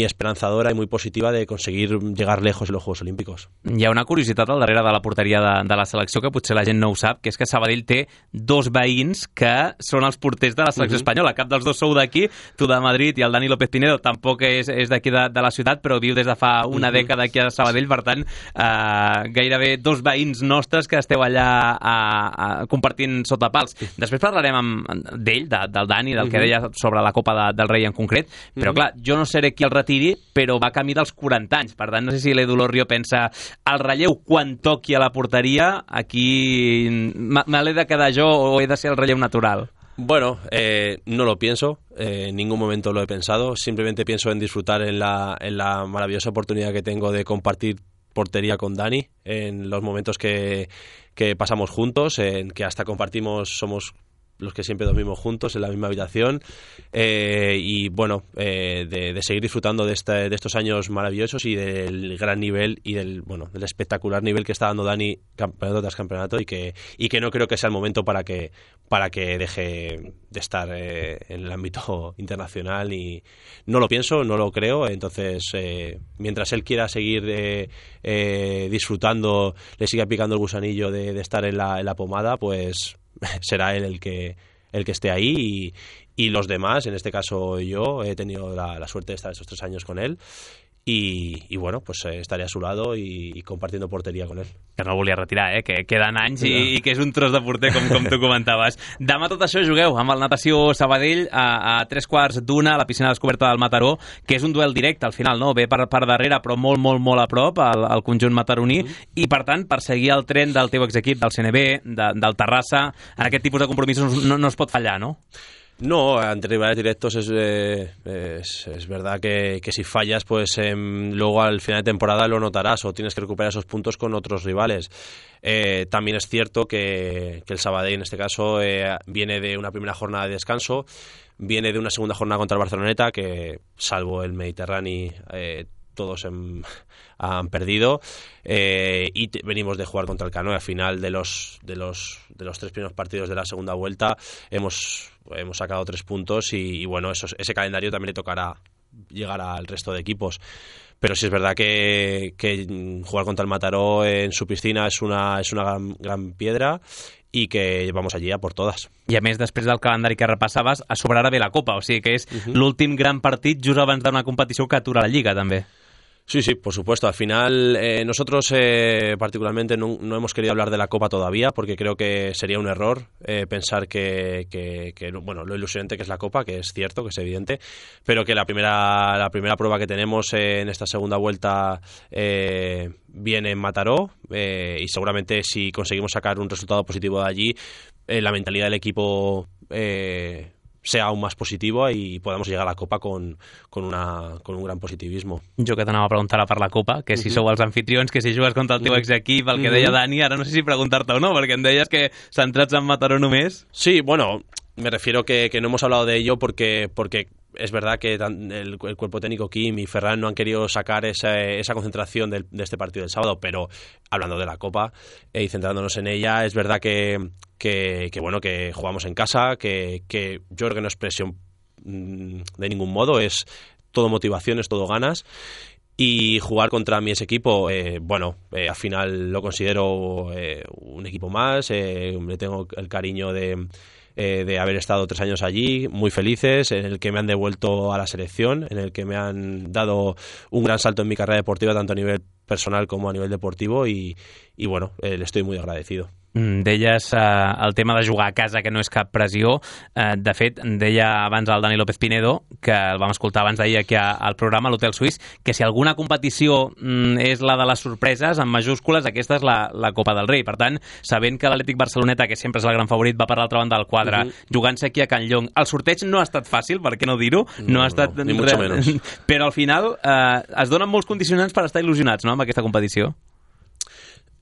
esperanzadora i muy positiva de conseguir llegar lejos en los Juegos Olímpicos. Hi ha una curiositat al darrere de la porteria de la selecció que potser la gent no ho sap, que és que Sabadell té 2 veïns que són els porters de la selecció espanyola. Cap dels 2 sou d'aquí, tu de Madrid i el Dani López Pinedo tampoc és d'aquí de la ciutat, però viu des de fa una dècada aquí a Sabadell, per tant, gairebé 2 veïns nostres que esteu allà compartint sota pals. Després parlarem d'ell, del Dani, del que deia sobre la Copa del Rei en concret, però clar, jo no seré qui el retiri, però va camí dels 40 anys. Per tant, no sé si l'Edu Lorrio pensa el relleu quan toqui a la porteria, aquí me l'he de quedar jo o he de ser el relleu natural. Bueno, no lo pienso, en ningún momento lo he pensado, simplemente pienso en disfrutar en la maravillosa oportunidad que tengo de compartir portería con Dani, en los momentos que pasamos juntos, en que hasta somos los que siempre dormimos juntos en la misma habitación y bueno, de seguir disfrutando de estos años maravillosos y del gran nivel y del espectacular nivel que está dando Dani campeonato tras campeonato y que no creo que sea el momento para que deje de estar en el ámbito internacional y no lo pienso, no lo creo. Entonces mientras él quiera seguir disfrutando, le siga picando el gusanillo de estar en la pomada, pues será él el que esté ahí y los demás, en este caso yo he tenido la suerte de estar estos 3 años con él i bueno, pues estaré a su lado i compartiendo porteria con él. Que no el volia retirar, que queden anys i que és un tros de porter, com tu comentaves. Demà tot això jugueu amb el Natació Sabadell a 3:15 a la piscina descoberta del Mataró, que és un duel directe al final, no? Ve per darrere però molt a prop al conjunt mataroní i per tant, per seguir el tren del teu exequip, del CNB, del Terrassa, en aquest tipus de compromisos no es pot fallar, no? No, ante rivales directos es verdad que si fallas, pues luego al final de temporada lo notarás o tienes que recuperar esos puntos con otros rivales. También es cierto que el Sabadell, en este caso, viene de una primera jornada de descanso, viene de una segunda jornada contra el Barceloneta, que salvo el Mediterráneo, todos han perdido, y venimos de jugar contra el Canoe. Al final de los 3 primeros partidos de la segunda vuelta hemos sacado 3 puntos y bueno, ese calendario también le tocará llegar al resto de equipos. Pero sí es verdad que jugar contra el Mataró en su piscina es una gran piedra i que vamos allí a por todas. I a més, després del calendari que repassaves, a sobre ara ve la Copa, o sigui que és l'últim gran partit just abans d'una competició que atura la Lliga, també. Sí, por supuesto. Al final, nosotros particularmente no hemos querido hablar de la Copa todavía porque creo que sería un error pensar que bueno, lo ilusionante que es la Copa, que es cierto, que es evidente, pero que la primera prueba que tenemos en esta segunda vuelta viene en Mataró y seguramente si conseguimos sacar un resultado positivo de allí, la mentalidad del equipo sea aún más positivo y podamos llegar a la Copa con un gran positivismo. Jo que t'anava a preguntar per la Copa, que si sou els anfitrions, que si jugues contra el teu exequip, el que deia Dani, ara no sé si preguntar-te o no, perquè em deies que centrats en Mataró només. Sí, bueno, me refiero que no hemos hablado de ello porque es verdad que el cuerpo técnico Kim y Ferran no han querido sacar esa concentración de este partido del sábado, pero hablando de la Copa y centrándonos en ella, es verdad que bueno, que jugamos en casa, que yo creo que no es presión de ningún modo, es todo motivación, es todo ganas. Y jugar contra mi equipo, al final lo considero un equipo más, le tengo el cariño de haber estado 3 años allí, muy felices, en el que me han devuelto a la selección, en el que me han dado un gran salto en mi carrera deportiva, tanto a nivel personal como a nivel deportivo, y bueno, le estoy muy agradecido. Deies el tema de jugar a casa, que no és cap pressió. De fet, deia abans el Dani López Pinedo, que el vam escoltar abans d'ahir aquí al programa, a l'Hotel Suís, que si alguna competició és la de les sorpreses, en majúscules, aquesta és la Copa del Rei. Per tant, sabent que l'Atlètic Barceloneta, que sempre és el gran favorit, va per l'altra banda del quadre, jugant-se aquí a Can Llong. El sorteig no ha estat fàcil, per què no dir-ho? No ha estat ni mucho menos. Però al final es donen molts condicionants per estar il·lusionats, no?, amb aquesta competició.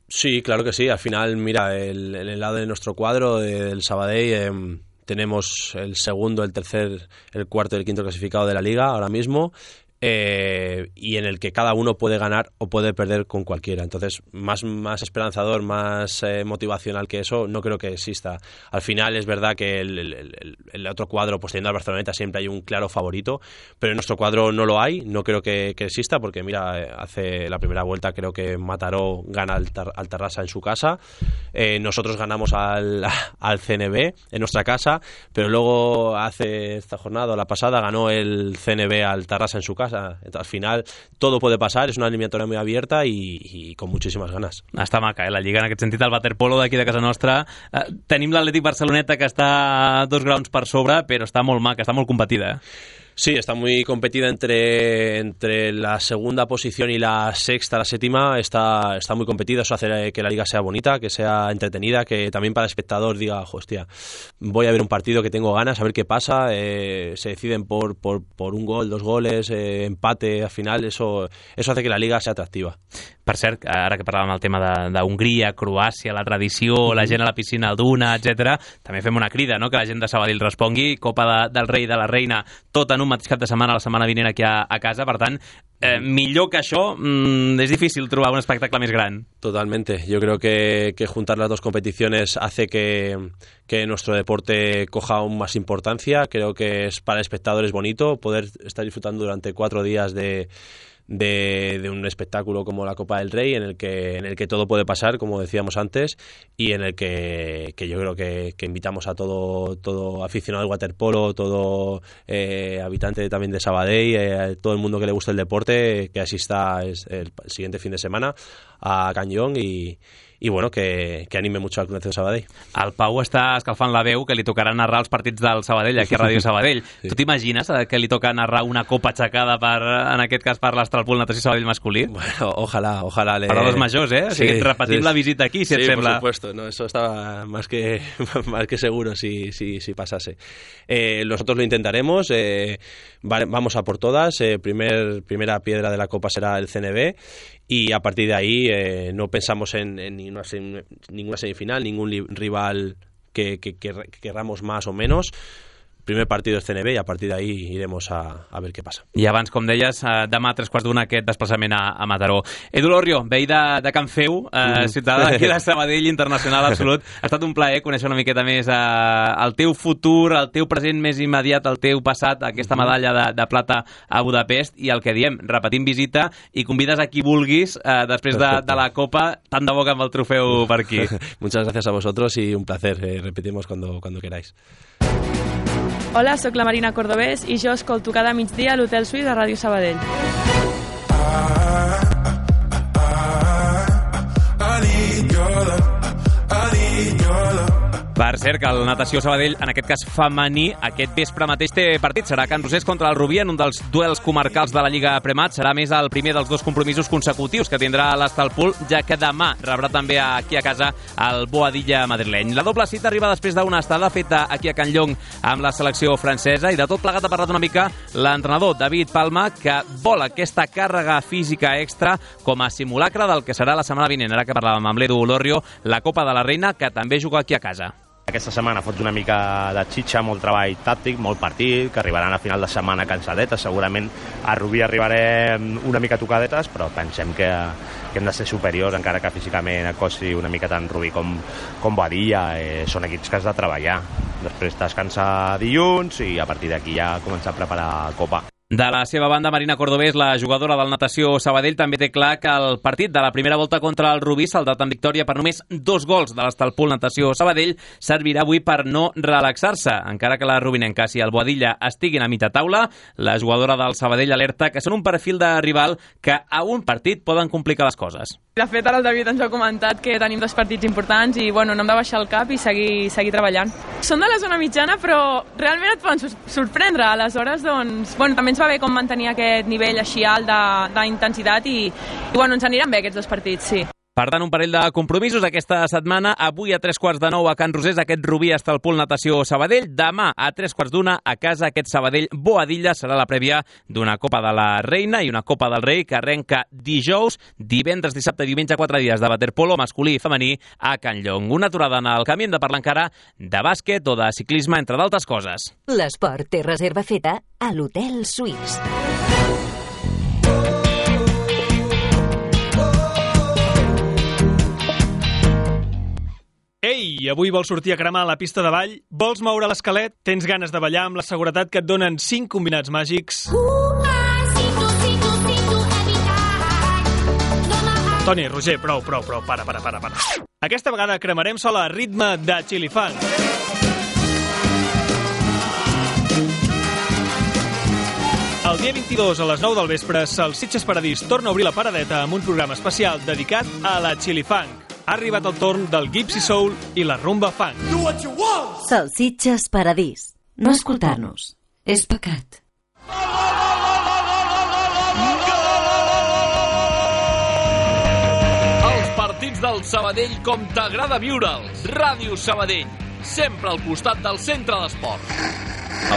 Sí, claro que sí. Al final, mira, el lado de nuestro cuadro del Sabadell tenemos el segundo, el tercer, el cuarto y el quinto clasificado de la Liga ahora mismo, y en el que cada uno puede ganar o puede perder con cualquiera. Entonces, más esperanzador, más motivacional que eso, no creo que exista. Al final es verdad que el otro cuadro, pues teniendo al Barceloneta, siempre hay un claro favorito, pero en nuestro cuadro no lo hay, no creo que exista, porque mira, hace la primera vuelta creo que Mataró gana al Tarrasa en su casa, nosotros ganamos al CNB en nuestra casa, pero luego hace esta jornada, la pasada, ganó el CNB al Tarrasa en su casa. Al final todo puede pasar, és una eliminatòria muy abierta y con muchísimas ganas. Està maca, la Lliga en aquest sentit, el waterpolo d'aquí de casa nostra. Tenim l'Atlètic Barceloneta que està a 2 graons per sobre, però està molt maca, està molt competida. Sí, está muy competida entre la segunda posición y la sexta, la séptima, está muy competida. Eso hace que la liga sea bonita, que sea entretenida, que también para el espectador diga, hostia, voy a ver un partido que tengo ganas, a ver qué pasa, se deciden por un gol, 2 goles, empate, al final, eso hace que la liga sea atractiva. Per cert, ara que parlàvem del tema d'Hongria, Croàcia, la tradició, la gent a la piscina al Duna, etc., també fem una crida, no?, que la gent de Sabadell respongui. Copa del Rei, de la Reina, tot en un mateix cap de setmana, la setmana vinent aquí a casa. Per tant, millor que això, és difícil trobar un espectacle més gran. Totalmente. Yo creo que juntar las dos competiciones hace que nuestro deporte coja aún más importancia. Creo que para el espectador es bonito poder estar disfrutando durante 4 días de un espectáculo como la Copa del Rey, en el que todo puede pasar, como decíamos antes, y en el que yo creo que invitamos a todo aficionado al waterpolo, todo habitante también de Sabadell, todo el mundo que le guste el deporte, que asista el siguiente fin de semana a Can Llong y bueno, que anime mucho al Club Natació Sabadell. El Pau està escalfant la veu que li tocarà narrar els partits del Sabadell aquí a Ràdio Sabadell. Sí. Tu t'imagines que li toca narrar una copa aixecada en aquest cas per l'Astralpool Natació Sabadell masculí? Bueno, ojalá. Per a los majors, ¿eh? Sí, o sigui, repetim la visita aquí, si et sembla. Sí, por supuesto. No, eso estaba más que seguro si pasase. Nosotros lo intentaremos. Vamos a por todas. Primera piedra de la Copa será el CNB y a partir de ahí no pensamos en ninguna semifinal, ningún rival que querramos más o menos. Primer partido és CNB i a partir d'ahí iremos a ver què passa. I abans, com deies, demà a 3:15 aquest desplaçament a Mataró. Edu Lorrio, veí de Can Feu, ciutadà d'aquí de Sabadell, internacional absolut. Ha estat un plaer conèixer una miqueta més el teu futur, el teu present més immediat, el teu passat, aquesta medalla de plata a Budapest, i el que diem, repetim visita i convides a qui vulguis després de la Copa, tant de bo amb el trofeu per aquí. Muchas gracias a vosotros y un placer. Repetimos cuando queráis. Hola, sóc la Marina Cordobés i jo escolto cada migdia a l'Hotel Suís a Ràdio Sabadell. Per cert, que el Natació Sabadell, en aquest cas femení, aquest vespre mateix té partit. Serà Can Rosés contra el Rubí en un dels duels comarcals de la Lliga Premat. Serà més el primer dels dos compromisos consecutius que tindrà l'Estalpol, ja que demà rebrà també aquí a casa el Boadilla madrileny. La doble cita arriba després d'una estada feta aquí a Can Llong amb la selecció francesa, i de tot plegat ha parlat una mica l'entrenador David Palma, que vol aquesta càrrega física extra com a simulacre del que serà la setmana vinent. Ara que parlàvem amb l'Edu Lorrio, la Copa de la Reina, que també juga aquí a casa. Aquesta setmana fots una mica de xitxa, molt treball tàctic, molt partit, que arribaran a final de setmana cansadetes. Segurament a Rubí arribarem una mica tocadetes, però pensem que hem de ser superiors, encara que físicament costi una mica tant Rubí com Boadilla. Són equips que has de treballar. Després descansar dilluns i a partir d'aquí ja començar a preparar la Copa. De la seva banda, Marina Cordobés, la jugadora del Natació Sabadell, també té clar que el partit de la primera volta contra el Rubí, saldat en victòria per només 2 gols de l'Estalpol Natació Sabadell, servirà avui per no relaxar-se. Encara que la rubinenca i el Boadilla estiguin a mitja taula, la jugadora del Sabadell alerta que són un perfil de rival que a un partit poden complicar les coses. De fet, ara el David ens ha comentat que tenim 2 partits importants i no hem de baixar el cap i seguir treballant. Són de la zona mitjana, però realment et poden sorprendre. Aleshores, també ens va bé com mantenir aquest nivell així alt d'intensitat i ens aniran bé aquests 2 partits, sí. Per tant, un parell de compromisos aquesta setmana. Avui a 9:15 a Can Rosés, aquest Rubí Estalpol Natació Sabadell. Demà a 9:15 a casa, aquest Sabadell Boadilla. Serà la prèvia d'una Copa de la Reina i una Copa del Rei que arrenca dijous, divendres, dissabte i diumenge, 4 dies de waterpolo masculí i femení a Can Llong. Una aturada en el camí, hem de parlar encara de bàsquet o de ciclisme, entre d'altres coses. L'esport té reserva feta a l'Hotel Suís. Ei, avui vols sortir a cremar a la pista de ball? Vols moure l'esquelet? Tens ganes de ballar amb la seguretat que et donen 5 combinats màgics? Toni, Roger, prou, para. Aquesta vegada cremarem sola a ritme de Chili Funk. El dia 22 a les 9 del vespre, Salsitxes Paradís torna a obrir la paradeta amb un programa especial dedicat a la Chili Funk. Ha arribat el torn del Gypsy Soul i la rumba funk. Salsitxes Paradís. No escoltar-nos és pecat. Els partits del Sabadell com t'agrada viure'ls. Ràdio Sabadell, sempre al costat del centre d'esports.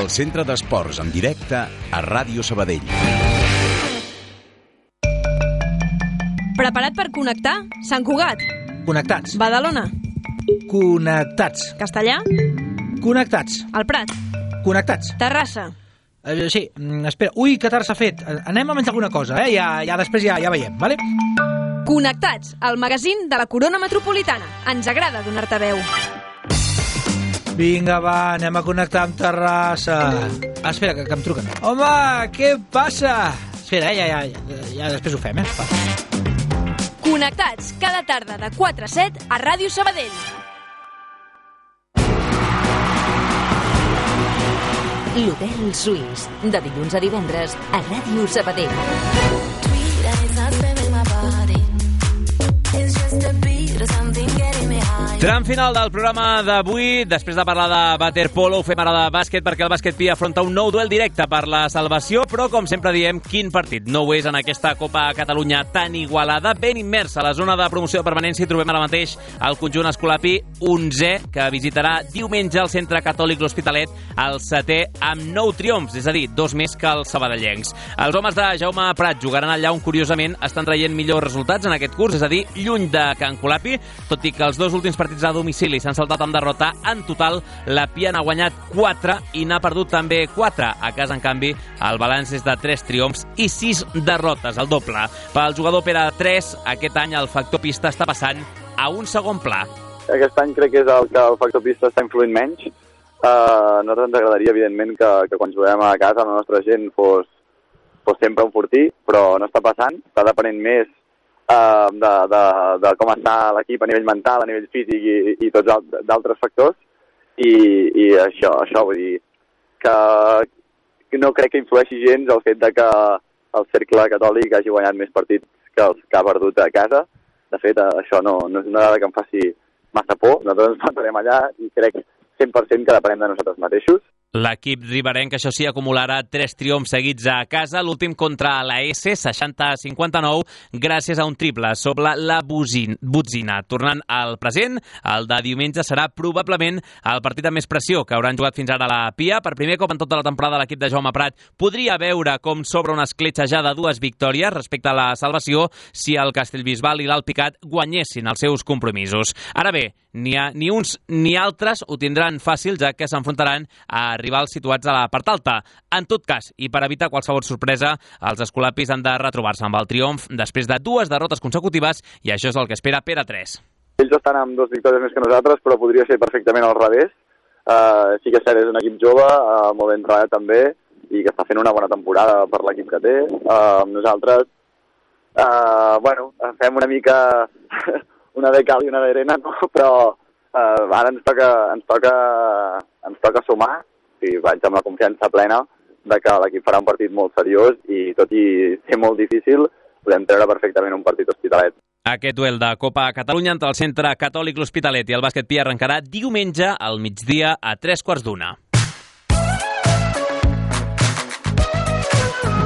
El centre d'esports en directe a Ràdio Sabadell. Preparat per connectar? Sant Cugat. Connectats. Badalona. Connectats. Castellà. Connectats. El Prat. Connectats. Terrassa. Sí, espera. Ui, que tard s'ha fet. Anem a menjar alguna cosa, eh? Ja després ja veiem, vale? Connectats, el magazín de la Corona Metropolitana. Ens agrada donar-te veu. Vinga, va, anem a connectar amb Terrassa. Espera, que em truquen. Home, què passa? Espera, ja després ho fem, eh? Va. Connectats, cada tarda de 4 a 7 a Ràdio Sabadell. L'Hotel Suís, de dilluns a divendres a Ràdio Sabadell. It's just a beat or something. Tram final del programa d'avui. Després de parlar de waterpolo, ho fem ara de bàsquet, perquè el bàsquet Pia afronta un nou duel directe per la salvació, però, com sempre diem, quin partit no ho és en aquesta Copa Catalunya tan igualada. Ben immers a la zona de promoció de permanència hi trobem ara mateix el conjunt Escolapi 11è, que visitarà diumenge al Centre Catòlic L'Hospitalet, el 7è, amb 9 triomfs, és a dir, 2 més que els sabadellencs. Els homes de Jaume Prat jugaran allà on, curiosament, estan traient millors resultats en aquest curs, és a dir, lluny de Can Colapi, tot i que els dos últims partits a domicili s'han saltat amb derrota. En total, la Pia n'ha guanyat 4 i n'ha perdut també 4. A casa, en canvi, el balanç és de 3 triomfs i 6 derrotes, el doble. Pel jugador Pere 3, aquest any el factor pista està passant a un segon pla. Aquest any crec que és el que el factor pista està influint menys. A nosaltres ens agradaria, evidentment, que quan juguem a casa la nostra gent fos sempre un fortí, però no està passant. Està depenent més de com està l'equip a nivell mental, a nivell físic i tots d'altres factors, i això vull dir que no crec que influeixi gens el fet de que el Cercle Catòlic hagi guanyat més partits que els que ha perdut a casa. De fet, això no és una dada que em faci massa por. Nosaltres ens plantarem allà i crec 100% que depenem de nosaltres mateixos. L'equip riberenc, això sí, acumularà 3 triomfs seguits a casa, l'últim contra la S, 60-59, gràcies a un triple sobre la Botzina. Tornant al present, el de diumenge serà probablement el partit amb més pressió que hauran jugat fins ara a la Pia. Per primer cop en tota la temporada, l'equip de Jaume Prat podria veure com s'obre una escletxa ja de 2 victòries respecte a la salvació si el Castellbisbal i l'Alpicat guanyessin els seus compromisos. Ara bé, ni uns ni altres ho tindran fàcil, ja que s'enfrontaran a rivals situats a la part alta. En tot cas, i per evitar qualsevol sorpresa, els escolapis han de retrobar-se amb el triomf després de 2 derrotes consecutives, i això és el que espera Pere 3. Ells estan amb 2 victòries més que nosaltres, però podria ser perfectament al revés. Sí que és cert, és un equip jove, molt ben treballat també, i que està fent una bona temporada per l'equip que té. Nosaltres, fem una mica una de cal i una d'arena, no? Però ara ens toca sumar, i vaig amb la confiança plena de que l'equip farà un partit molt seriós i, tot i ser molt difícil, podem treure perfectament un partit Hospitalet. Aquest duel de Copa Catalunya entre el Centre Catòlic L'Hospitalet i el bàsquet Pia arrencarà diumenge al migdia a 3:15.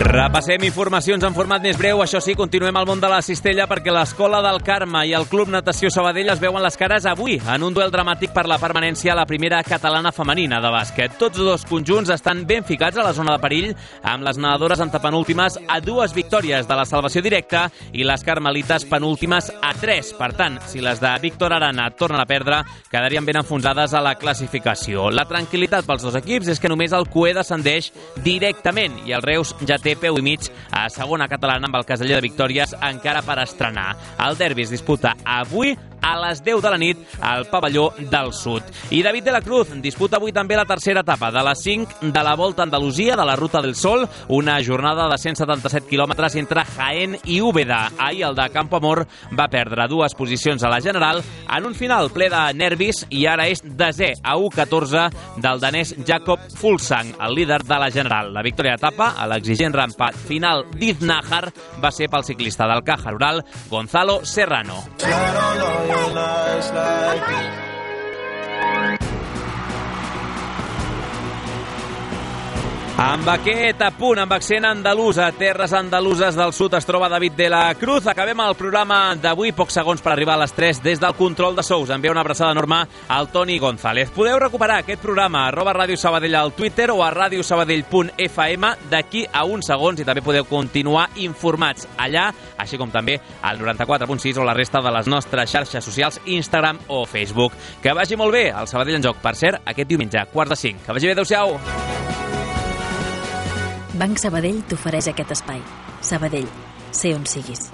Repassem informacions en format més breu. Això sí, continuem al món de la cistella, perquè l'Escola del Carme i el Club Natació Sabadell es veuen les cares avui en un duel dramàtic per la permanència a la primera catalana femenina de bàsquet. Tots dos conjunts estan ben ficats a la zona de perill, amb les nedadores antepenúltimes a 2 victòries de la salvació directa i les carmelites penúltimes a 3. Per tant, si les de Víctor Arana tornen a perdre, quedarien ben enfonsades a la classificació. La tranquil·litat pels dos equips és que només el Cué descendeix directament i el Reus ja té peu i mig a segona catalana, amb el caseller de victòries encara per estrenar. El derbi es disputa avui a les 10 de la nit al pavelló del Sud. I David de la Cruz disputa avui també la tercera etapa de les 5 de la Volta a Andalusia de la Ruta del Sol, una jornada de 177 quilòmetres entre Jaén i Úbeda. Ahir el de Campo Amor va perdre 2 posicions a la general en un final ple de nervis i ara és desè a 1:14 del danès Jakob Fuglsang, el líder de la general. La victòria d'etapa a l'exigent rampat final d'Iznahar va ser pel ciclista del Caja Rural, Gonzalo Serrano. Amb aquest apunt, amb accent andalús, a terres andaluses del sud es troba David de la Cruz. Acabem el programa d'avui, pocs segons per arribar a les 3 des del control de sous. Envia una abraçada enorme al Toni González. Podeu recuperar aquest programa a @Ràdio Sabadell al Twitter o a radiosabadell.fm d'aquí a uns segons, i també podeu continuar informats allà, així com també al 94.6 o la resta de les nostres xarxes socials, Instagram o Facebook. Que vagi molt bé el Sabadell en joc, per cert, aquest diumenge, 4:45. Que vagi bé, adeu-siau! Banc Sabadell t'ofereix aquest espai. Sabadell, sé on siguis.